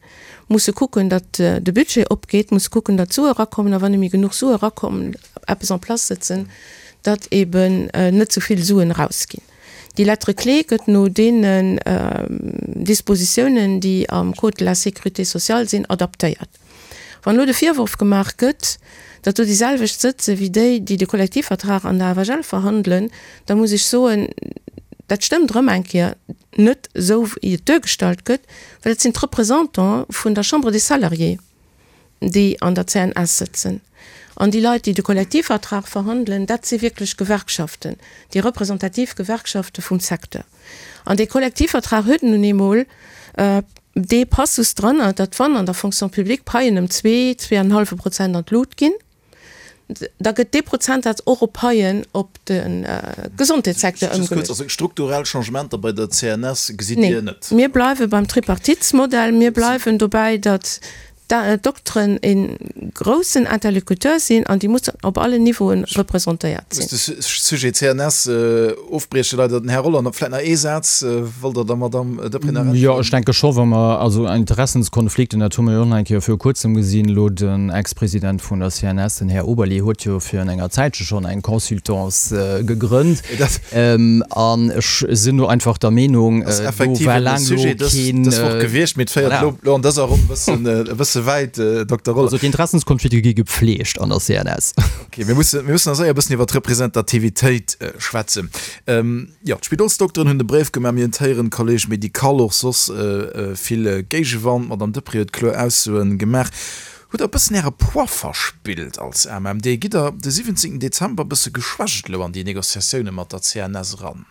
musse kucken, datt de Budget opgeet, musse kucken, datt d'Sue erakommen a wann net méi genuch Sue erakommen, eppes en place sëtzen, datt eben net ze vill Suen erausginn. Déi Lettre clé gëtt no deenen Dispositiounen, déi am Code de la sécurité sociale sinn, adaptéiert. Wann elo de Virworf gemaach gëtt, datt do déi selwecht sëtze wéi déi, déi de Kollektivvertrag an der FHL verhandelen, da muss ech soen, dat stëmmt erëm eng Kéier net esou, wéi et duergestallt gëtt, well et sinn d'Représentants vun der Chambre des Salariés, déi an der CNS sëtzen. An déi Leit, déi de Kollektivvertrag verhandelen, dat si wierklech Gewerkschaften, déi representativ Gewerkschafte vum Secteur. An dee Kollektivvertrag huet nun eemol dee Passus dranner, datt wann an der Fonction publique d'Paien ëm zwee, zweeanenhallwe Prozent an d'Lut ginn, da gëtt dee Prozentsaz och op Paien op de Gesondheetssecteur Just kuerz, ëmgeluecht. also strukturell Changementer bei der CNS gesitt Dir net? Nee, mir bleiwe beim Tripartitesmodell. Mir bleiwen dobäi, datt D'Dokteren e groussen Interlocuteur sinn an déi mussen op allen Niveauen representéiert sinn. Muss de Sujet CNS ofbriechen, leider. Den Här Rolland, vläicht nach ee Saz, wollt Der der Madamm Deprez nach äntweren? Jo, ech denke scho wa mer also Interessenskonflikten, dat hu mer jo och nach eng Kéier viru Kuerzem gesinn, elo den Ex-President vun der CNS, den Här Oberlé, huet jo virun enger Zäitche schonn eng Consultance gegrënnt. An ech sinn do einfach der Meenung, do war laang elo keen. Dës Woch gewiescht, mee et féiert elo an dëser Ronn e bësse wäit, Dokter Roller. Also d'Interessenskonflikte gi gepflegt an der CNS. Ok, mir mussen, mir mussen nach séier e bëssen iwwer d'Representativitéit schwätzen. Jo, d'Spidolsdokteren hunn de Bréif gemaach, mir hunn d'héieren, Collège médical, och soss vill Géigewand. D'Madame Deprez huet kloer Aussoen gemaach. Hutt der e bëssen äre Poids verspillt als AMMD? Gitt der de 17 Dezember e bësse geschwächt elo an déi Négociatioune mat der CNS eran?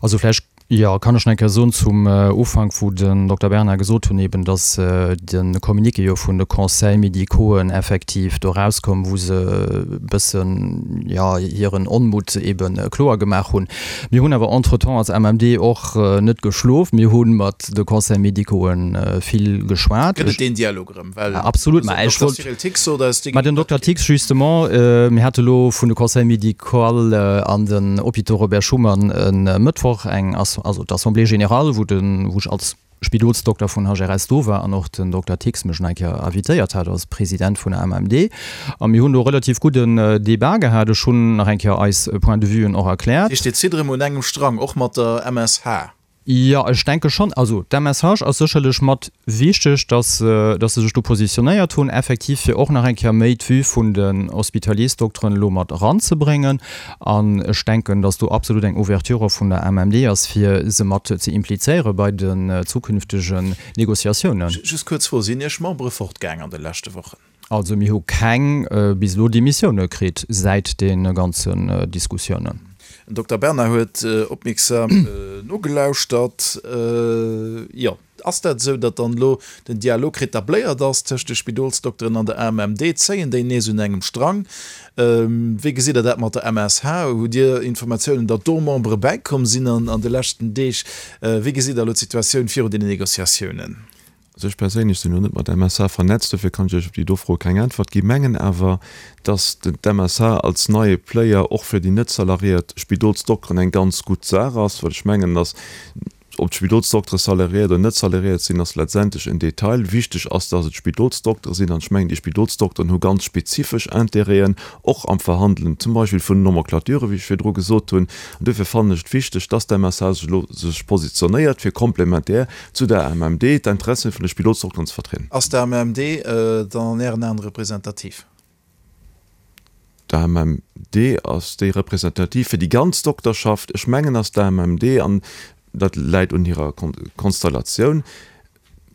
Also vläicht, jo, kann ech nach eng Kéier soen zum Ufank, wou den Dokter Bernard gesot hunn eben, datt de Communiqué jo vun de Conseils médicauxen effektiv do erauskoum, wou se e bëssen, jo, hiren Onmutt ebe kloer gemaach hunn. Mir hunn awer entretemps als AMMD och net geschlof. Mir hu mat de Conseils médicauxen vill geschwat. Gëtt et deen Dialog erëm? Well Absolut, ma ech wollt, Cyril Thix sot eis, ma den Dokter Thix justement, mir hate lo vun de Conseil médical an den Hôpitaux Robert Schuman e Mëttwoch eng, also d'Assemblée générale, wou den, wou ech als Spidolsdokter vun HRS do war an och den Dokter Thix mech nach eng Kéier invitéiert hat als President vun der AMMD. A mir hunn do relativ gudden Débat gehat. Ech hunn nach eng Kéier eis Point-de-vuen och erkläert. Dat heescht, Dir zitt erëm un engem Strang, och mat der MSH? Jo, ech denke schonn. Also d'MSH ass sécherlech mat wichteg, datt datt se sech do positionéiert hunn, effektiv fir och nach eng Kéier méi d'Vue vun den Hospitaliersdokteren elo mat eranzebréngen. An ech denken, datt do absolut eng Ouverture och vun der MMD ass, fir se mat ze implizéiere bei den zukünftegen Négociatiounen. Just kuerz Fro, Sinn Iech Membere fortgaang an de leschte Wochen? Also mir hu keng bis elo Demissioune kritt säit de ganzen Diskussiounen. Den Dokter Bernard huet opmierksam nogelauschtert. Jo, ass dat esou, datt dann elo den Dialog retabléiert ass tëscht de Spidolsdokteren an der AMMD? Zéien déi nees un engem Strang? Wéi gesitt Der dat mat der MSH? Hutt Dir Informatiounen, datt do Membere bäikomm sinn an de leschten Deeg? Wéi gesitt Der elo d'Situatioun virun deenen Negociatiounen? Also ech perséinlech sinn elo net mat MSH vernetzt, dofir kann ech Iech op déi do Fro keng Äntwert ginn, mengen awer, dass d'MSH als neie Player och fir déi net salariéiert Spidolsdokteren eng ganz gutt Saach ass, well ech mengen, dass, ob d'Spidolsdoktere salariéiert oder net salariéiert sinn, ass letztendlech en Detail. Wichteg ass, dass et Spidolsdoktere sinn an ech mengen, déi Spidolsdokteren hu ganz spezifesch Intérêten, och am Verhandelen zum Beispill vun den Nomenclaturen, wéi ech virdru gesot hunn. An dofir fannen ech et wichteg, dass d'MSH sech elo sech positionéiert, fir komplementär zu der AMMD d'Interessen vun de Spidolsdokteren ze vertrieden. Ass d'AMMD dann an Ären Aen representativ? D'AMMD ass déi representativ fir déi ganz Dokterschaft. Ech mengen, ass d'AMMD, an dat läit un hirer Konstellatioun,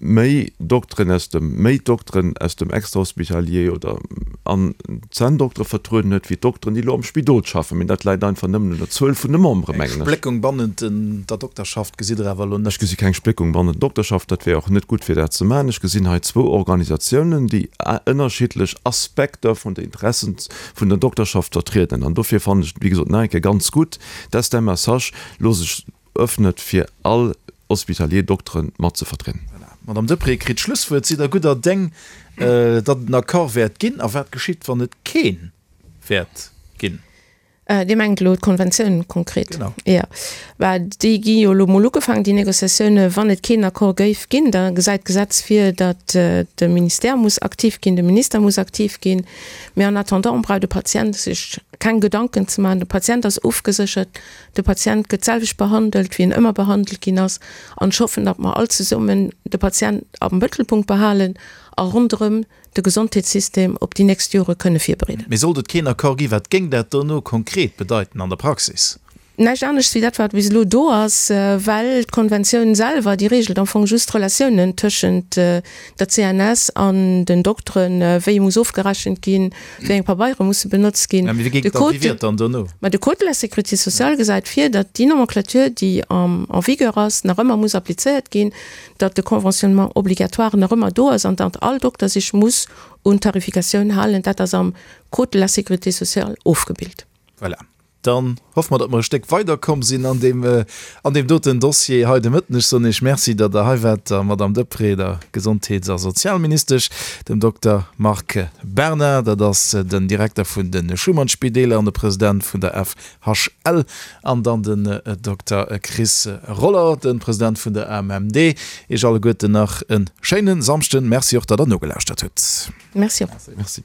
méi Dokteren aus dem, méi Dokteren aus dem Extrahospitalier oder an Zänndoktere vertrueden huet, wéi d'Dokteren, déi elo am Spidol schaffen. Mee dat läit einfach nëmmen un der Zuel vun de Membere, Eng mengen ech. Spléckung bannent der Dokterschaft gesitt Der awer elo net? Ech gesi keng Spléckung bannent der Dokterschaft. Dat wär och net gutt, fir dat ze maachen. Ech gesinn hei zwou Organisatiounen, déi ënnerschiddlech Aspekter vun de Interessen vun der Dokterschaft vertrieden. An dofir fannen ech et, wéi gesot, nach eng Kéier ganz gutt, dass d'MSH elo sech öffnet, fir all Hospitalier Dokteren mat ze vertrieden. Voilà. D'Madame Deprez kritt d'Schlusswuert. Sidd Der gudder Déng, datt et en Accord wäert ginn? A wat geschitt, wann et kee wäert ginn? Dir mengt elo d'Konventioun konkret? Genau. Jo. Bah, déi gi jo elo mol ugefaangen, déi Négociatiounen. Wann et keen Accord géif ginn, da gesäit d'Gesetz vir, datt de Ministère muss aktiv ginn, de Minister muss aktiv ginn. Mee en attendant brauch de Patient sech keng Gedanken ze maachen. De Patient ass ofgeséchert. De Patient gëtt d'selwecht behandelt, wéi en ëmmer behandelt ginn ass. An ech hoffen, datt mer all zesummen de Patient am Mëttelpunkt behalen a ronderëm de Gesondheetssystem op déi nächst Jore kënne virbereeden. Mee sollt et keen Accord ginn, wat géing dat dono konkret bedeiten an der Praxis? Näischt anescht wéi dat, wat bis elo do ass, well d'Konventioun selwer, déi regelt am Fong just d'Relatiounen tëschent der CNS an den Dokteren, wéi muss ofgerechent ginn, wéi eng Pabeiere musse benotzt ginn. Mä wéi géing dann, wéi wier et dann dono? Mä de Code de la Sécurité sociale gesäit vir, datt déi Nomenclature, déi en vigueur ass, nach ëmmer muss applizéiert ginn, datt de Conventionnement obligatoire nach ëmmer do ass an datt all Dokter sech muss un d'Tarifikatioun halen. Dat ass am Code de la Sécurité sociale ofgebilt. Voilà. Dann hoffe mer, datt mer e Stéck weiderkomm sinn an deem, an deem doten Dossier hei de Mëtten. Ech soen Iech Merci, datt Der hei waart, der Madamm Deprez, der Gesondheets a Sozialministesch, dem Dokter Marc Bernard, dat ass den Direkter vun de Schuman-Spideeler an de President vun der FHL, an dann den Dokter Chris Roller, de President vun der AMMD. Iech alleguerten nach e schéine Samschden. Merci och, datt Der nogelauschtert hutt. Merci och. Merci.